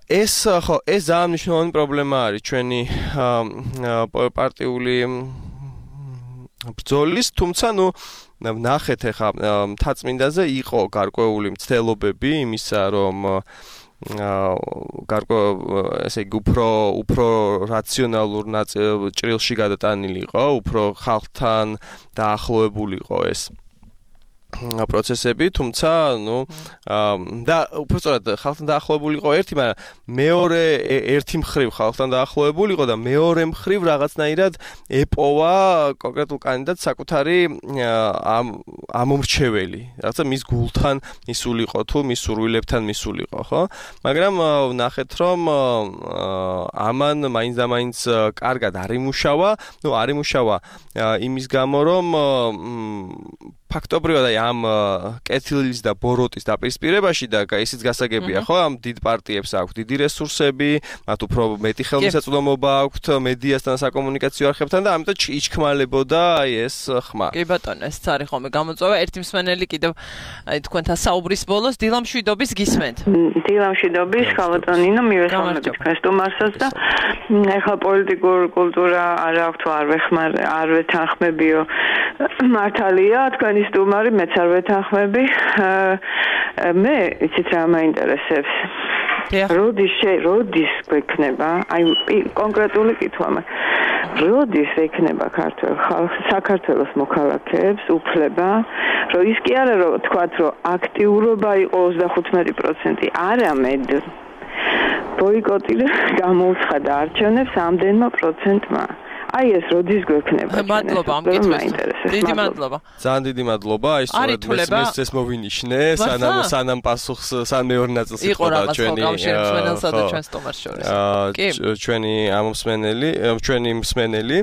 ეს ძალიან მნიშვნელოვანი პრობლემა არის ჩვენი პარტიული ბრძოლის, თუმცა ნახეთ ახლა მთაწმინდაზე იყო გარკვეული მცდელობები იმისა, რომ ესე იგი უფრო რაციონალურ ჭრილში გადატანილი იყო, უფრო ხალხთან დაახლოებული იყო ეს პროცესები, თუმცა და უბრალოდ ხალხთან დაახლოებული იყო ერთი, მაგრამ მეორე ერთი მხრივ ხალხთან დაახლოებული იყო და მეორე მხრივ რაღაცნაირად ეპოვა კონკრეტულ კანდიდატს საკუთარი ამომრჩეველი, რაღაცა მის გულთან მისულიყო თუ მის სურვილებთან მისულიყო, ხო? მაგრამ ნახეთ რომ ამან მაინც და მაინც კარგად არ იმუშავა, არ იმუშავა იმის გამო რომ ფაქტობრივად ამ კეთილის და ბოროტის დაპირისპირებაში და ისიც გასაგებია, ხო, ამ დიდ პარტიებს აქვთ დიდი რესურსები, მათ უფრო მეტი ხელმისაწვდომობა აქვთ მედიასთან, საკომუნიკაციო არხებთან და ამიტომ იჩქმალებოდა აი ეს ხმა. კი ბატონო, ეს არის ხოლმე გამოწვევა. ერთი მსმენელი კიდევ აი თქვენთან საუბრის ბოლოს დილამშვიდობის გისმენთ. დილამშვიდობის, ხალბატონინო, მივესალმებით თქვენ სტუმარსაც და ეხლა პოლიტიკურ კულტურა არ აქვთ, არ ვეთანხმებიო. მართალია, თქვენი სტუმარი მეც არ ვეთანხმები. მე იცით რა მაინტერესებს? როდის გვექნება? აი კონკრეტული კითხვა მაქვს. როდის ექნება საქართველოს მოქალაქეებს უფლება, რომ ის კი არა რომ თქვათ, რომ აქტიურობა იყო 35%, არამედ ბოიკოტი გამოუცხადა არჩევნებს ამდენმა პროცენტმა. აი ეს როდის გვექნება? მადლობა ამ კითხვისთვის. დიდი მადლობა. ძალიან დიდი მადლობა. აი სწორედ ეს მოვინიშნე, სანამ პასუხს მეორე ნაწილს იხოდა ჩვენი ჩვენი ჩვენი მსმენელი.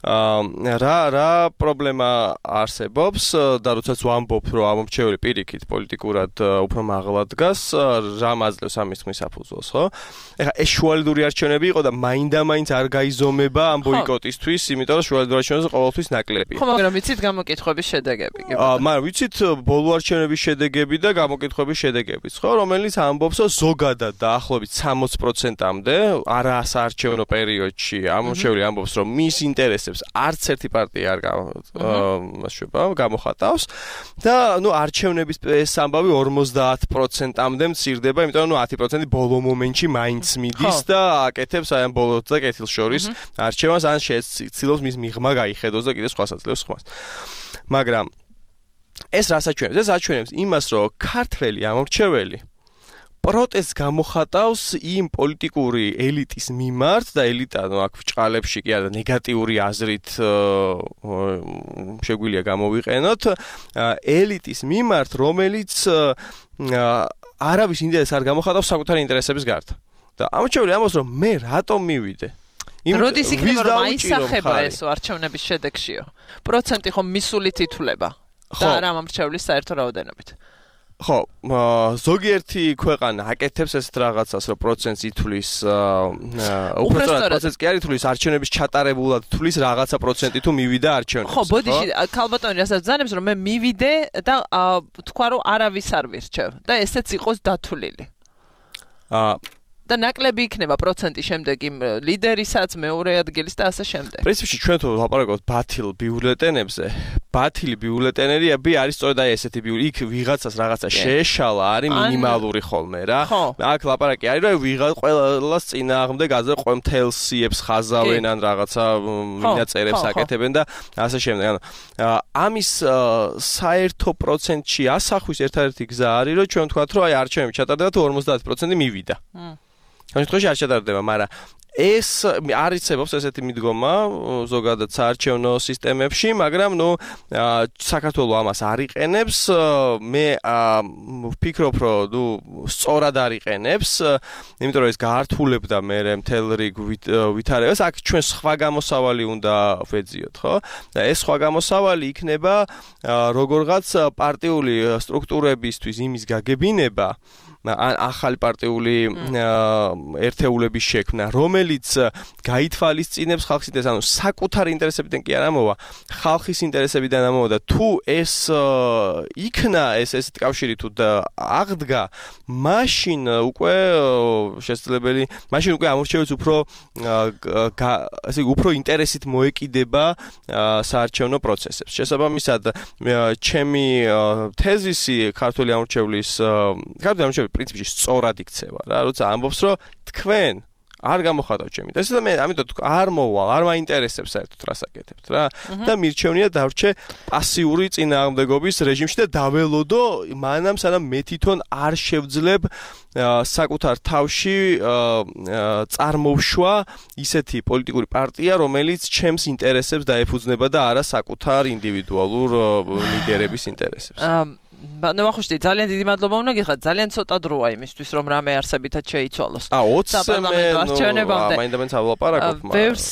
რა პრობლემა არსებობს და როდესაც ვამბობ, რომ ამორჩეული პირიქით პოლიტიკურად უფრო მაღლა დგას, რა მაძლევს ამის თქმის საფუძველს, ხო? ეხლა ეს შუალედური არჩევნები იყო და მაინდა-მაინც არ გაიზომება ამ ბოიკოტის იმიტომ რომ შუალედურ არჩევნებზე ყოველთვის ნაკლებია. ხო, მაგრამ ვიცით გამოკითხვების შედეგები? მაგრამ ვიცით ბოლო არჩევნების შედეგები და გამოკითხვების შედეგებიც, ხო, რომელიც ამბობს, რომ ზოგადად დაახლოებით 60%-მდე არასაარჩევნო პერიოდში ამორჩეული ამბობს, რომ მის ინტერესებს არც ერთი პარტია არ გამოხატავს და არჩევნების ეს ამბავი 50%-მდე მცირდება, იმიტომ რომ 10% ბოლო მომენტში მაინც მიდის და აკეთებს აი ამ ბოლოს და კეთილს შორის არჩევანს ან ცდილობს მის მიღმა გაიხედოს და კიდე სხვა საძლევს ხმას. მაგრამ ეს რას აჩვენებს? ეს აჩვენებს იმას, რომ ქართველი ამორჩეველი პროტესტს გამოხატავს იმ პოლიტიკური ელიტის მიმართ და ელიტა აქ ბრჭყალებში კი არა ნეგატიური აზრით შეგვიძლია გამოვიყენოთ ელიტის მიმართ, რომელიც არავის ინტერესს არ გამოხატავს საკუთარი ინტერესების გარდა. და ამორჩეველი ამბობს, რომ მე რატომ მივიდე? როდის იქნება რომ აისახება ეს არჩევნების შედეგშიო? პროცენტი ხომ მისულით ითვლება და არა ამორჩევლის საერთო რაოდენობით. ხო, ზოგიერთი ქვეყანა აკეთებს ესეთ რაღაცას, რომ პროცენტს ითვლის, უბრალოდ პროცენტს კი არ ითვლის, არჩევნების ჩატარებულად თვლის რაღაცა პროცენტი თუ მივიდა არჩევნებს. ხო, ბოდიში, ქალბატონი რასაც ბრძანებს, რომ მე მივიდე და თქვა რომ არავის არ ვირჩევ და ესეც იყოს დათვლილი. და ნაკლები იქნება პროცენტი შემდეგ იმ ლიდერისაც, მეორე ადგილის და ასე შემდეგ. პრინციპში ჩვენ თუ ლაპარაკობთ ბათილ ბიულეტენებზე, ბათილი ბიულეტენერები არის სწორედ აი ესეთი ბიული. იქ ვიღაცას რაღაცა შეეშალა, არის მინიმალური ხოლმე რა. აქ ლაპარაკი არის რომ ვიღაც ყველას წინააღმდეგ აზრ ყომთელ სიებს ხაზავენ ან რაღაცა მინაწერებს აკეთებენ და ასე შემდეგ. ანუ ამის საერთო პროცენტში ასახვის ერთადერთი გზა არის რომ ჩვენ ვთქვათ რომ აი არჩევნები ჩატარდება თუ 50% მივიდა. ამ შემთხვევაში არ ჩატარდება, მაგრამ ეს არიცებობს ესეთი მიდგომა ზოგადად საარჩევნო სისტემებში, მაგრამ საქართველოს ამას არ იყენებს. მე ვფიქრობ, რომ სწორად არ იყენებს, იმიტომ რომ ეს გაართულებდა მე მთელ რიგ ვითარებას. აქ ჩვენ სხვა გამოსავალი უნდა ვეძიოთ, ხო? და ეს სხვა გამოსავალი იქნება როგორღაც პარტიული სტრუქტურებისთვის იმის გაგებინება, ან ახალი პარტიული ერთეულების შექმნა, რომელიც გაითვალისწინებს ხალხის ინტერესს, ანუ საკუთარი ინტერესებიდან კი არ ამოვა, ხალხის ინტერესებიდან ამოვა და თუ ეს იქნა ეს კავშირი თუ აღდგა, მაშინ უკვე შესაძლებელი, მაშინ უკვე ამორჩევებს უფრო ინტერესით მოეკიდება საარჩევნო პროცესებს. შესაბამისად, ჩემი თეზისი ქართული ამორჩევლის პრინციპში სწორად იქცევა რა, როცა ამბობს რომ თქვენ არ გამოხატავთ ჩემი ინტერესს და მე ამიტომ არ მოვალ, არ მაინტერესებს საერთოდ რას აკეთებთ რა და მირჩევნია დავრჩე პასიური წინააღმდეგობის რეჟიმში და დაველოდო მანამ სანამ მე თვითონ არ შევძლებ საკუთარ თავში წარმოვშვა ისეთი პოლიტიკური პარტია, რომელიც ჩემს ინტერესებს დაეფუძნება და არა საკუთარ ინდივიდუალურ ლიდერების ინტერესებს. ნახუშტი, ძალიან დიდი მადლობა უნდა გიხადოთ. ძალიან ცოტა დროა იმისთვის, რომ რამე არსებითად შეიცვალოს. 20 მაინდამაინც ავლაპარაკობ, მაგრამ ბევრს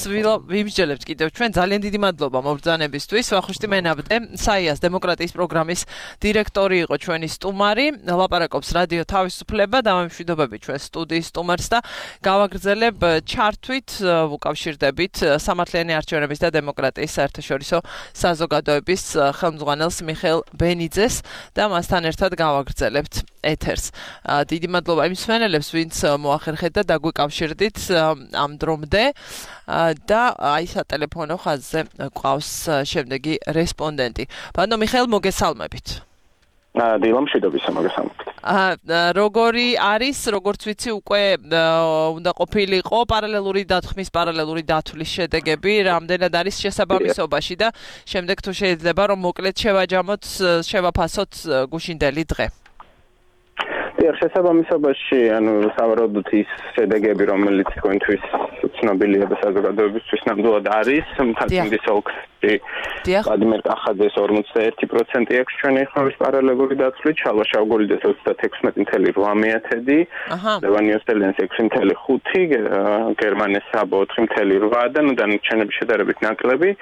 ვიმსჯელებთ კიდევ ჩვენ. ძალიან დიდი მადლობა მობრძანებისთვის. ვახუშტი მენაბდე, საიას დემოკრატიის პროგრამის დირექტორი იყო ჩვენი სტუმარი. ლაპარაკობს რადიო თავისუფლება და მშვიდობები ჩვენ სტუდიის სტუმარს და გავაგრძელებ ჩართვით უკავშირდებით სამართლიანი არჩევნების და დემოკრატიის საერთაშორისო საზოგადოების ხელმძღვანელს მიხეილ ბენიძეს და მასთან ერთად გავაგრძელებთ ეთერს. დიდი მადლობა იმ მსმენელებს, ვინც მოახერხეთ და დაგვიკავშირდით ამ დრომდე და აი სატელეფონო ხაზზე ყავს შემდეგი რესპონდენტი. ბატონო მიხეილ, მოგესალმებით. დილამშვიდობისა, მოგესალმებით. როგორი არის, როგორც ვიცი, უკვე უნდა ყოფილიყო პარალელური დათქმის, პარალელური დათვლის შედეგები, რამდენად არის შესაბამისობაში და შემდეგ თუ შეიძლება რომ მოკლედ შევაჯამოთ, შევაფასოთ გუშინდელი დღე. შესაბამისობაში, სავარაუდოდ ის შედეგები, რომელიც თქვენთვის ცნობილია და საზოგადოებისთვის ნამდვილად არის, მთაწმინდის ოლქში ვლადიმერ კახაძეს 41% აქვს ჩვენი ხმების პარალელური დათვლით, შალვა შავგორიძეს 36.8%, ლევან იოსელიანს 6.5%, გერმანეს საბო 4.8% და დანარჩენები შედარებით ნაკლები.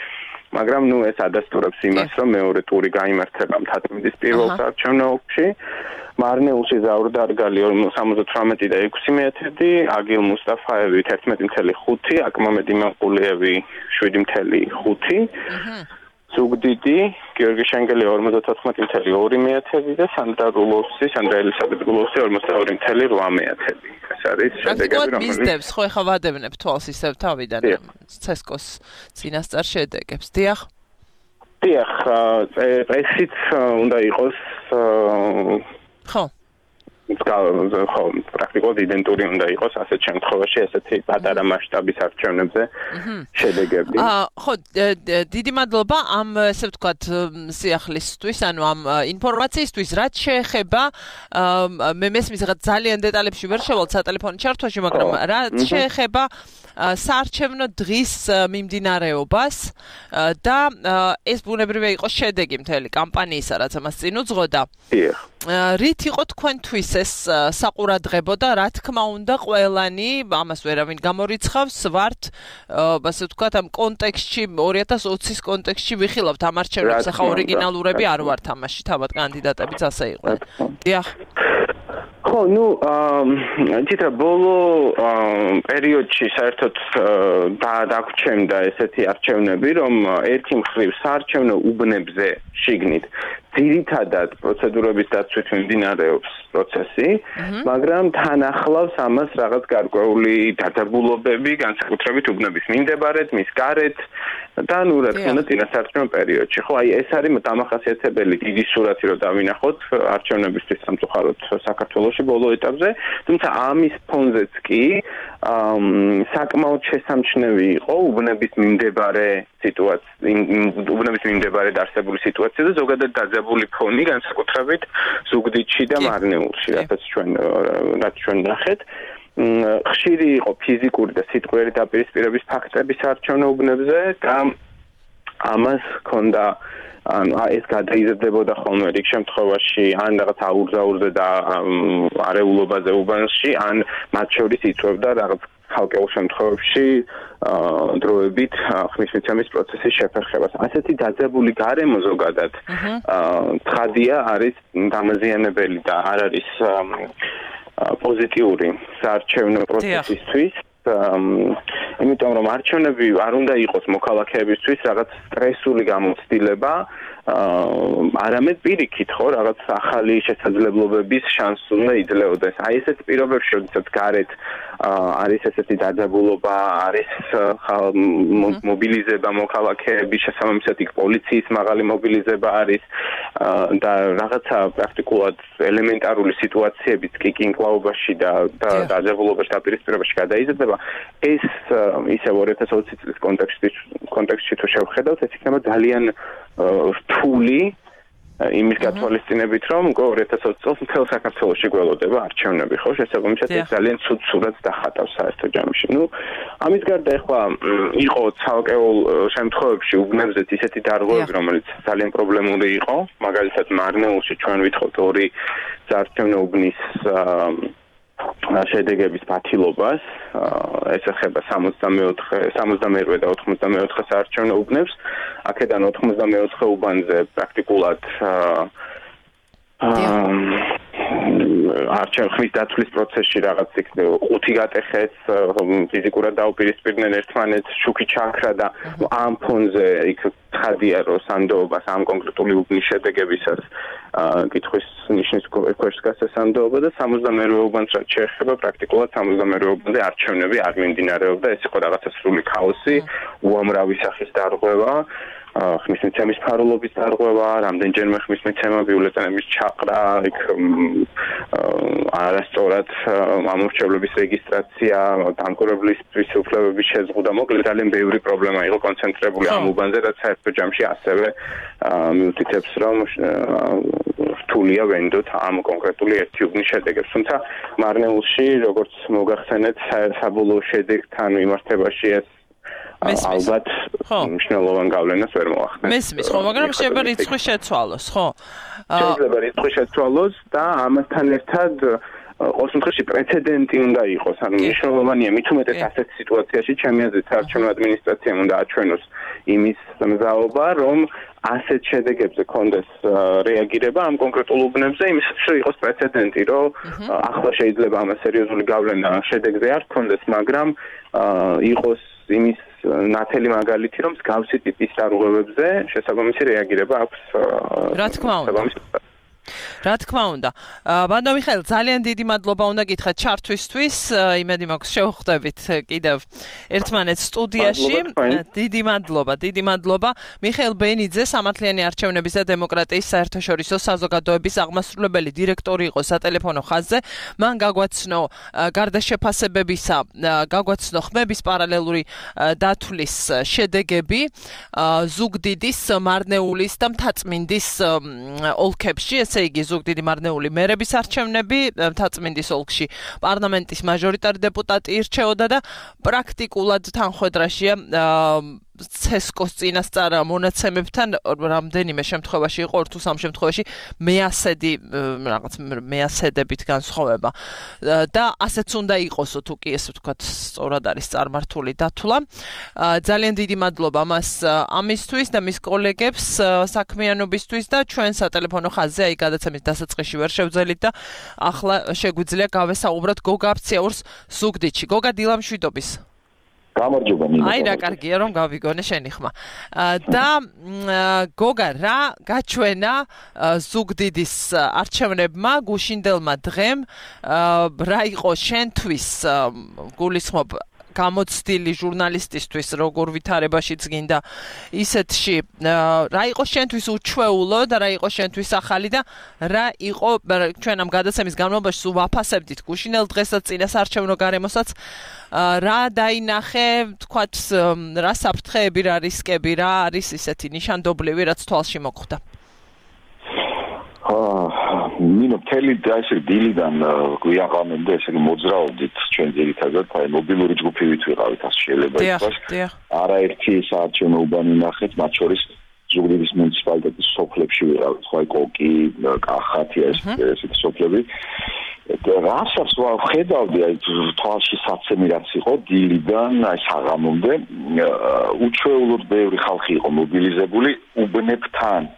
მაგრამ ეს ადასტურებს იმას, რომ მეორე ტური გაიმართება მთაწმინდის პირველ საარჩევნო ოლქში. მარნეულში ზაურ დარგალი 78 და 6 მეტრი, აგილ მუსტაფაევი 11.5, აკმამედ იმამყულიევი 7.5, ზუგდიდი, გიორგი შენგელი 54.2 მეტრი და სანდრა ელისაბედ რულოვსი 42.8. ეს არის შედეგები, რომელიც მისდევს, ხო ეხა ვადევნებ თვალს ისევ თავიდან ცესკოს წინასწარ შედეგებს. დიახ. ესიც უნდა იყოს ხო, პრაქტიკულად იდენტური უნდა იყოს ასეთ შემთხვევაში ესეთი პატარა მასშტაბის არჩევნებზე შედეგები. ხო, დიდი მადლობა ამ ესე ვთქვათ სიახლისთვის, ანუ ამ ინფორმაციისთვის, რაც შეეხება მე მესმის რაღაც ძალიან დეტალებში ვერ შევალთ სატელეფონო ჩართვაში, მაგრამ რაც შეეხება საარჩევნო დღის მიმდინარეობას და ეს ბუნებრივია იყოს შედეგი მთელი კამპანიისა, რაც ამას წინ უძღოდა. რით იყო თქვენთვის ეს საყურადღებო და რა თქმა უნდა ყველანი ამას ვერავინ გამორიცხავს ვართ ასე ვთქვათ ამ კონტექსტში 2020-ის კონტექსტში ვიხილავთ ამ არჩევნებს ახლა ორიგინალურები არ ვართ ამაში თავად კანდიდატებიც ასე იყვნენ. დიახ. ხო, თითქოს ბოლო პერიოდში საერთოდ დაგვრჩენდა ესეთი არჩევნები, რომ ერთი მხრივ საარჩევნო უბნებზე შიგნით ძირითადად პროცედურების დაცვით მიმდინარეობს პროცესი, მაგრამ თან ახლავს ამას რაღაც გარკვეული დაძაბულობები, განსაკუთრებით უბნების მიმდებარედ, მის გარეთ, და ნუ რა თქმა უნდა წინასაარჩევნო პერიოდში. ხო, აი ეს არის დამახასიათებელი დიდი სურათი რომ დავინახოთ არჩევნებისთვის სამწუხაროდ საქართველოში ბოლო ეტაპზე, თუმცა ამის ფონზეც კი საკმაოდ შესამჩნევი იყო უბნების მიმდებარე დაარსებული სიტუაცია და ზოგადად დაძაბული ფონი განსაკუთრებით ზუგდიდში და მარნეულში, რაც ჩვენ ნახეთ. ხშირი იყო ფიზიკური და სიტყვიერი დაპირისპირების ფაქტების არჩევნო უბნებზე და ამას ჰქონდა ეს გადაიზრდებოდა ხოლმე რიგ შემთხვევაში ან რაღაც აურზაურზე და არეულობაზე უბანში ან მათ შორის იწვევდა რაღაც ხალხურ შემთხვევებში დროებით ხმისმიცემის პროცესის შეფერხებას. ასეთი დაძაბული გარემო ზოგადად ცხადია არის დამაზიანებელი და არ არის პოზიტიური საარჩევნო პროცესისთვის. იმიტომ რომ არჩევნები არ უნდა იყოს მოქალაქეებისთვის რაღაც სტრესული გამოცდილება, არამედ პირიქით ხო რაღაც ახალი შესაძლებლობების შანსი უნდა იძლეოდეს. აი ესეთ პირობებში, როდესაც გარეთ არის ესეთი დაძაბულობა, არის მობილიზება მოქალაქეების შესაბამისად იქ პოლიციის მაღალი მობილიზება არის და რაღაცა პრაქტიკულად ელემენტარული სიტუაციებიც კი კინკლაობაში და დაძაბულობაში დაპირისპირებაში გადაიზრდება. ეს ისევ 2020 წლის კონტექსტში თუ შევხედავთ, ეს იქნება ძალიან რთული იმის გათვალისწინებით, რომ 2020 წელს მთელ საქართველოში გველოდება არჩევნები, ხო? შესაბამისად ეს ძალიან ცუდ სურათს დახატავს საერთო ჯამში. ნუ ამის გარდა ახლა იყო ცალკეულ შემთხვევებში უბნებზეც ისეთი დარღვევები, რომელიც ძალიან პრობლემური იყო, მაგალითად მარნეულში ჩვენ ვითხოვთ 2 საარჩევნო უბნის შედეგების პათილობას, ეს ეხება 64 და 94 საარჩევნო უბნებს. აქედან 94 უბანზე პრაქტიკულად არჩევნების დათვლის პროცესში რაღაც 5 გატეხეს, ფიზიკურად დაუპირისპირდნენ ერთმანეთს, შუქი ჩაქრა და ამ ფონზე იქ ცხადია რომ სანდოობას ამ კონკრეტული უბნის შედეგებისას კითხვის ნიშნის ქვეშ დგას სანდოობა და 62 უბანს რაც შეეხება პრაქტიკულად 62 უბანზე არჩევნები არ მიმდინარეობდა, ეს იყო რაღაცა სრული ქაოსი, უამრავი სახის დარღვევა. ხმისმიცემის ფარულობის დარღვევა, რამდენჯერმე ხმისმიცემა ბიულეტენების ჩაყრა, იქ არასწორად ამორჩევლების რეგისტრაცია, დამკვირვებლისთვის უფლებების შეზღუდვა, მოკლედ ძალიან ბევრი პრობლემა იყო კონცენტრირებული ამ უბანზე, რაც საერთო ჯამში ასევე მიუთითებს, რომ რთულია ვენდოთ ამ კონკრეტული ერთი უბნის შედეგებს. თუმცა მარნეულში, როგორც მოგახსენეთ, საბოლოო შედეგთან მიმართებაში ეს ალბათ მნიშვნელოვან გავლენას ვერ მოახდენს. მესმის, ხო, მაგრამ შეიძლება რიცხვი შეცვალოს, ხო? შეიძლება რიცხვი შეცვალოს და ამასთან ერთად ყოველ შემთხვევაში პრეცედენტი უნდა იყოს, ანუ მნიშვნელოვანია მით უმეტეს ასეთ სიტუაციაში ჩემი აზრით საარჩევნო ადმინისტრაციამ უნდა აჩვენოს იმის მზაობა, რომ ასეთ შედეგებზე კონდეს რეაგირება ამ კონკრეტულ უბნებზე, იმისაც რომ იყოს პრეცედენტი, რომ ახლა შეიძლება ამას სერიოზული გავლენა შედეგზე არ კონდეს, მაგრამ იყოს იმის ნათელი მაგალითი, რომ მსგავსი ტიპის დარღვევებზე შესაბამისი რეაგირება აქვს. რა თქმა უნდა. რა თქმა უნდა. ბანდო მიხეილ, ძალიან დიდი მადლობა უნდა გითხრათ ჩართვისთვის. იმედი მაქვს შევხვდებით კიდევ ერთმანეთს სტუდიაში. დიდი მადლობა. მიხეილ ბენიძე, სამართლიანი არჩევნების და დემოკრატიის საერთაშორისო საზოგადოების აღმასრულებელი დირექტორი იყო სატელეფონო ხაზზე. მან გაგვაცნო გარდა შეფასებებისა, გაგვაცნო ხმების პარალელური დათვლის შედეგები ზუგდიდის, მარნეულის და მთაწმინდის ოლქებში. ესე იგი ზუგდიდი მარნეული მერების არჩევნები, მთაწმინდის ოლქში პარლამენტის მაჟორიტარი დეპუტატი ირჩეოდა და პრაქტიკულად თანხმედრაშია ცესკოს წინასწარ მონაცემებთან რამდენიმე შემთხვევაში იყო, 2 თუ 3 შემთხვევაში მეასედებით განსხვავება და ასეც უნდა იყოსო თუ კი ესე ვთქვათ სწორად არის წარმართული დათვლა. ძალიან დიდი მადლობა მას ამისთვის და მის კოლეგებს საქმიანობისთვის და ჩვენ სატელეფონო ხაზზე აი გადაცემის დასაწყისში ვერ შევძელით და ახლა შეგვიძლია გავესაუბროთ გოგა აფციაურს ზუგდიდში. გოგა დილამშვიდობის. გამარჯობა ნინო. აი რა კარგია რომ გავიგონე შენი ხმა. და გოგა რა გაჩვენა ზუგდიდის არჩევნებმა გუშინდელმა დღემ, რა იყო შენთვის გულისხმობ გამოცდილი ჟურნალისტისთვის როგორ ვითარებაშიც გინდა ისეთში რა იყო შენთვის უჩვეულო და რა იყო შენთვის ახალი და რა იყო ჩვენ ამ გადაცემის განმავლობაში სულ ვაფასებდით გუშინელ დღესაც წინასაარჩევნო გარემოსაც რა დაინახე თქვათ რა საფრთხეები რა რისკები რა არის ისეთი ნიშანდობლივი რაც თვალში მოხვდა ნინო მთელი ესე დილიდან გვიაღამემდე ესე მოძრაობდით ჩვენ ძირითადად აი მობილური ჯგუფივით ვიყავით ასე შეიძლება ითქვას არაერთი საარჩევნო უბანი ნახეთ მათ შორის ზუგდიდის მუნიციპალიტეტის სოფლებში ვიყავით ხო აი კოკი კახათი ესეთი სოფლები რასაც ვხედავდი აი თვალში საცემი რაც იყო დილიდან აი საღამომდე უჩვეულოდ ბევრი ხალხი იყო მობილიზებული უბნებთან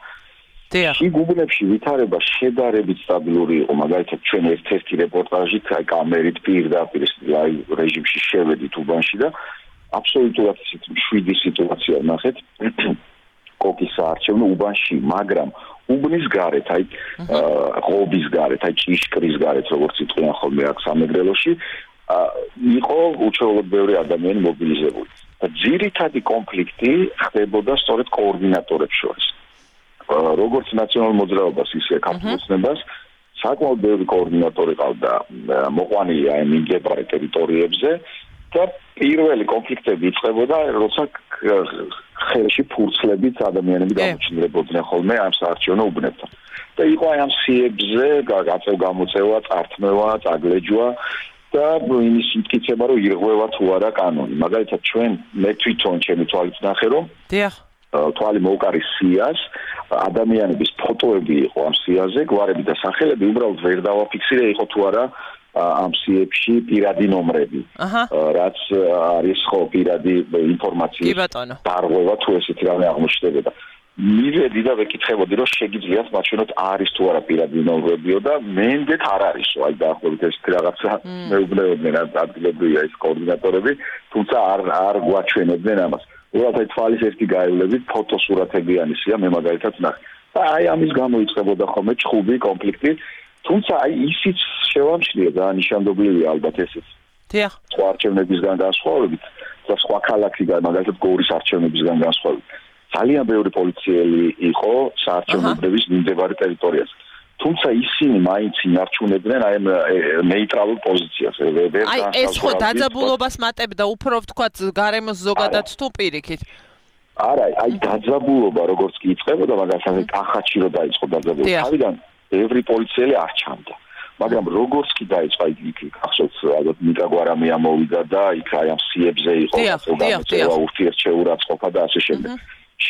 შიგუბნებში ვითარება შედარებით სტაბილური იყო მაგალითად ჩვენ ერთ-ერთი რეპორტაჟით აი კამერით პირდაპირ აი რეჟიმში შევედით უბანში და აბსოლუტურად მშვიდი სიტუაცია ნახეთ კოკის საარჩევნო უბანში მაგრამ უბნის გარეთ აი ღობის გარეთ აი ჭიშკრის გარეთ როგორც იტყვიან ხოლმე აქ სამეგრელოში იყო უჩვეულოდ ბევრი ადამიანი მობილიზებული და ძირითადი კონფლიქტი ხდებოდა სწორედ კოორდინატორებს შორის როგორც ნაციონალურ მოძრაობას ისე ქართულ ოცნებას საკმაოდ ბევრი კოორდინატორი ყავდა მოყვანილი აი მიმდებარე ტერიტორიებზე და პირველი კონფლიქტები იწყებოდა როცა ხელში ფურცლებით ადამიანები გამოჩნდებოდნენ ხოლმე ამ საარჩევნო უბნებთან და იყო აი ამ სიებზე გაწევ-გამოწევა, წართმევა, წაგლეჯვა და იმის მტკიცება რომ ირღვევა თუ არა კანონი მაგალითად ჩვენ მე თვითონ ჩემი თვალით ნახე რომ თვალი მოუკარის სიას ადამიანების ფოტოები იყო ამ სიაზე გვარები და სახელები უბრალოდ ვერ დავაფიქსირე იყო თუ არა ამ სიებში პირადი ნომრები რაც არის ხო პირადი ინფორმაციის დარღვევა თუ ესეთი რამე აღმოჩნდებოდა მივედი და ვეკითხებოდი რომ შეგიძლიათ მაჩვენოთ არის თუ არა პირადი ნომრებიო და მენდეთ არ არისო აი დაახლოებით ესეთი რაღაცა მეუბნეოდნენ ადგილობრივია ეს კოორდინატორები თუმცა არ გვაჩვენებდნენ ამას უბრალოდ თვალის ერთი გაივლებით ფოტოსურათებიანი სია მე მაგალითად ნახე და აი ამის გამო იწყებოდა ხოლმე ჩხუბი კონფლიქტი თუმცა აი ისიც შევამჩნია და ნიშანდობლივია ალბათ ესეც სხვა არჩევნებისგან განსხვავებით და სხვა ქალაქიდან მაგალითად გორის არჩევნებისგან განსხვავებით ძალიან ბევრი პოლიციელი იყო საარჩევნოების მიმდებარე ტერიტორიაზე თუმცა ისინი მაინც ინარჩუნებდნენ აი ნეიტრალურ პოზიციას აი ეს ხო დაძაბულობას მატებდა უფრო ვთქვათ გარემოს ზოგადად თუ პირიქით არა აი დაძაბულობა როგორც კი იწყებოდა მაგალითად კახათში რო დაიწყო დაძაბულობა თავიდან ბევრი პოლიციელი არ ჩამდა მაგრამ როგორც კი დაიწყო იქ ახსოვს ალბათ ნიკა გვარამია მოვიდა და იქ აი ამ სიებზე იყო გამოწევა ურთიერთშეურაცხყოფა და ასე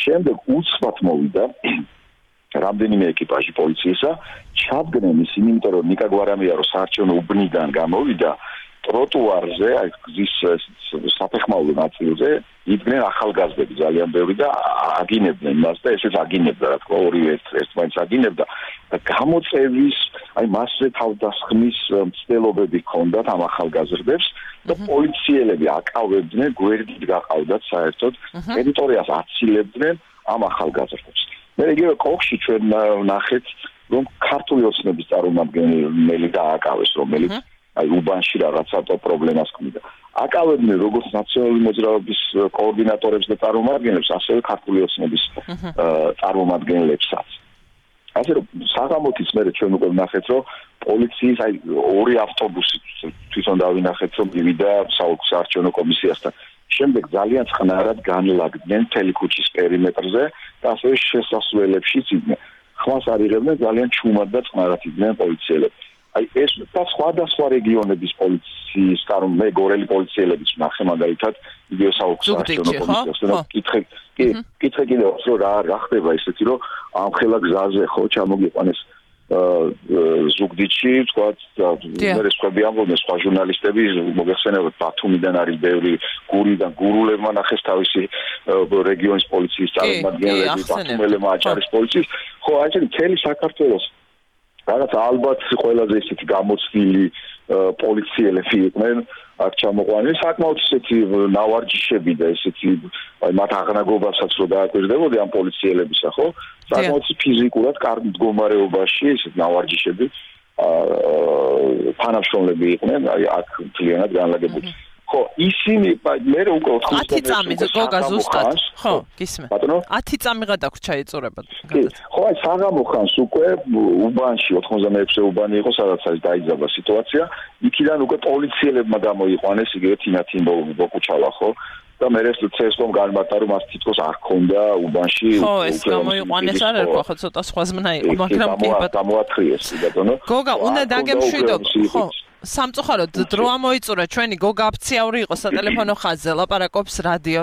შემდეგ უცბად მოვიდა რამდენიმე ეკიპაჟი პოლიციისა ჩადგნენ ისინი იმიტომ რომ ნიკა გვარამია რო საარჩევნო უბნიდან გამოვიდა ტროტუარზე აი გზის საფეხმავლო ნაწილზე იდგნენ ახალგაზრდები ძალიან ბევრი და აგინებდნენ მას და ესეც აგინებდა რა თქმა ორივე ერთმანეთს აგინებდა და გამოწევის აი მასზე თავდასხმის მცდელობები ჰქონდათ ამ ახალგაზრდებს და პოლიციელები აკავებდნენ გვერდით გაყავდათ საერთოდ ტერიტორიას აცილებდნენ ამ ახალგაზრდებს მე იგივე კოხში ჩვენ ნახეთ რომ ქართული ოცნების წარმომადგენელი დააკავეს რომელიც აი უბანში რაღაცა პრობლემას ქმნიდა. აკავებდნენ როგორც ნაციონალური მოძრაობის კოორდინატორებს და წარმომადგენლებს, ასევე ქართული ოცნების წარმომადგენლებსაც. ასე რომ საღამოთიც მე ჩვენ უკვე ვნახეთ რომ პოლიციის აი ორი ავტობუსი თვითონ დავინახეთ რომ მივიდა საარჩევნო კომისიასთან. შემდეგ ძალიან წყნარად განლაგდნენ მთელი ქუჩის პერიმეტრზე და ასევე შესასვლელებშიც იდნენ. ხმას არიღებდნენ ძალიან ჩუმად და წყნარად იდნენ პოლიციელები. აი ეს და სხვა რეგიონების პოლიციის მე გორელი პოლიციელებიც ვნახე მაგალითად იგივე საარჩევნო კომისიასთან კითხე კიდევ რომ რა ხდება ისეთი რომ ამ ხელა გზაზე ხო ჩამოგიყვანეს ზუგდიდში თქვათ მე სხვები ამბობენ სხვა ჟურნალისტები მოგეხსენებათ ბათუმიდან არის ბევრი გურიდან გურულებმა ნახეს თავისი რეგიონის პოლიციის წარმომადგენლები ბათუმელებმა აჭარის პოლიციის ხო აი მთელი საქართველოს რაღაც ალბათ ყველაზე ისეთი გამოცდილი პოლიციელები იყვნენ აქ ჩამოყვანილი საკმაოდ ისეთი ნავარჯიშები და ისეთი აი მათ აღნაგობასაც რო დააკვირდებოდი ამ პოლიციელებისა ხო საკმაოდ ფიზიკურად კარგ მდგომარეობაში ისეთ ნავარჯიშები თანამშრომლები იყვნენ აი აქ მთლიანად განლაგებული ხო, ისინი მე უკვე 10 წამი გოგა ზუსტად. ხო, გისმენ. 10 წამი გადაგვრჩა ეწურება. ხო, აი საღამო ხანს უკვე უბანში 96-ე უბანი იყო, სადაც არის დაიძაბა სიტუაცია. იქიდან უკვე პოლიციელებმა გამოიყვანეს იგივე თინათინ ბოკუჩალა, ხო? და მე ეს ცესკომ განმარტა რომ მას თითქოს არ ქონდა უბანში ხო ეს გამოიყვანეს არ ერქვა ხო ცოტა სხვაზმნა იყო მაგრამ გამოათრიეს ბატონო გოგა უნდა დაგემშვიდო ხო სამწუხაროდ დრო ამოიწურა ჩვენი გოგა აფციაური იყო სატელეფონო ხაზზე ლაპარაკობს რადიო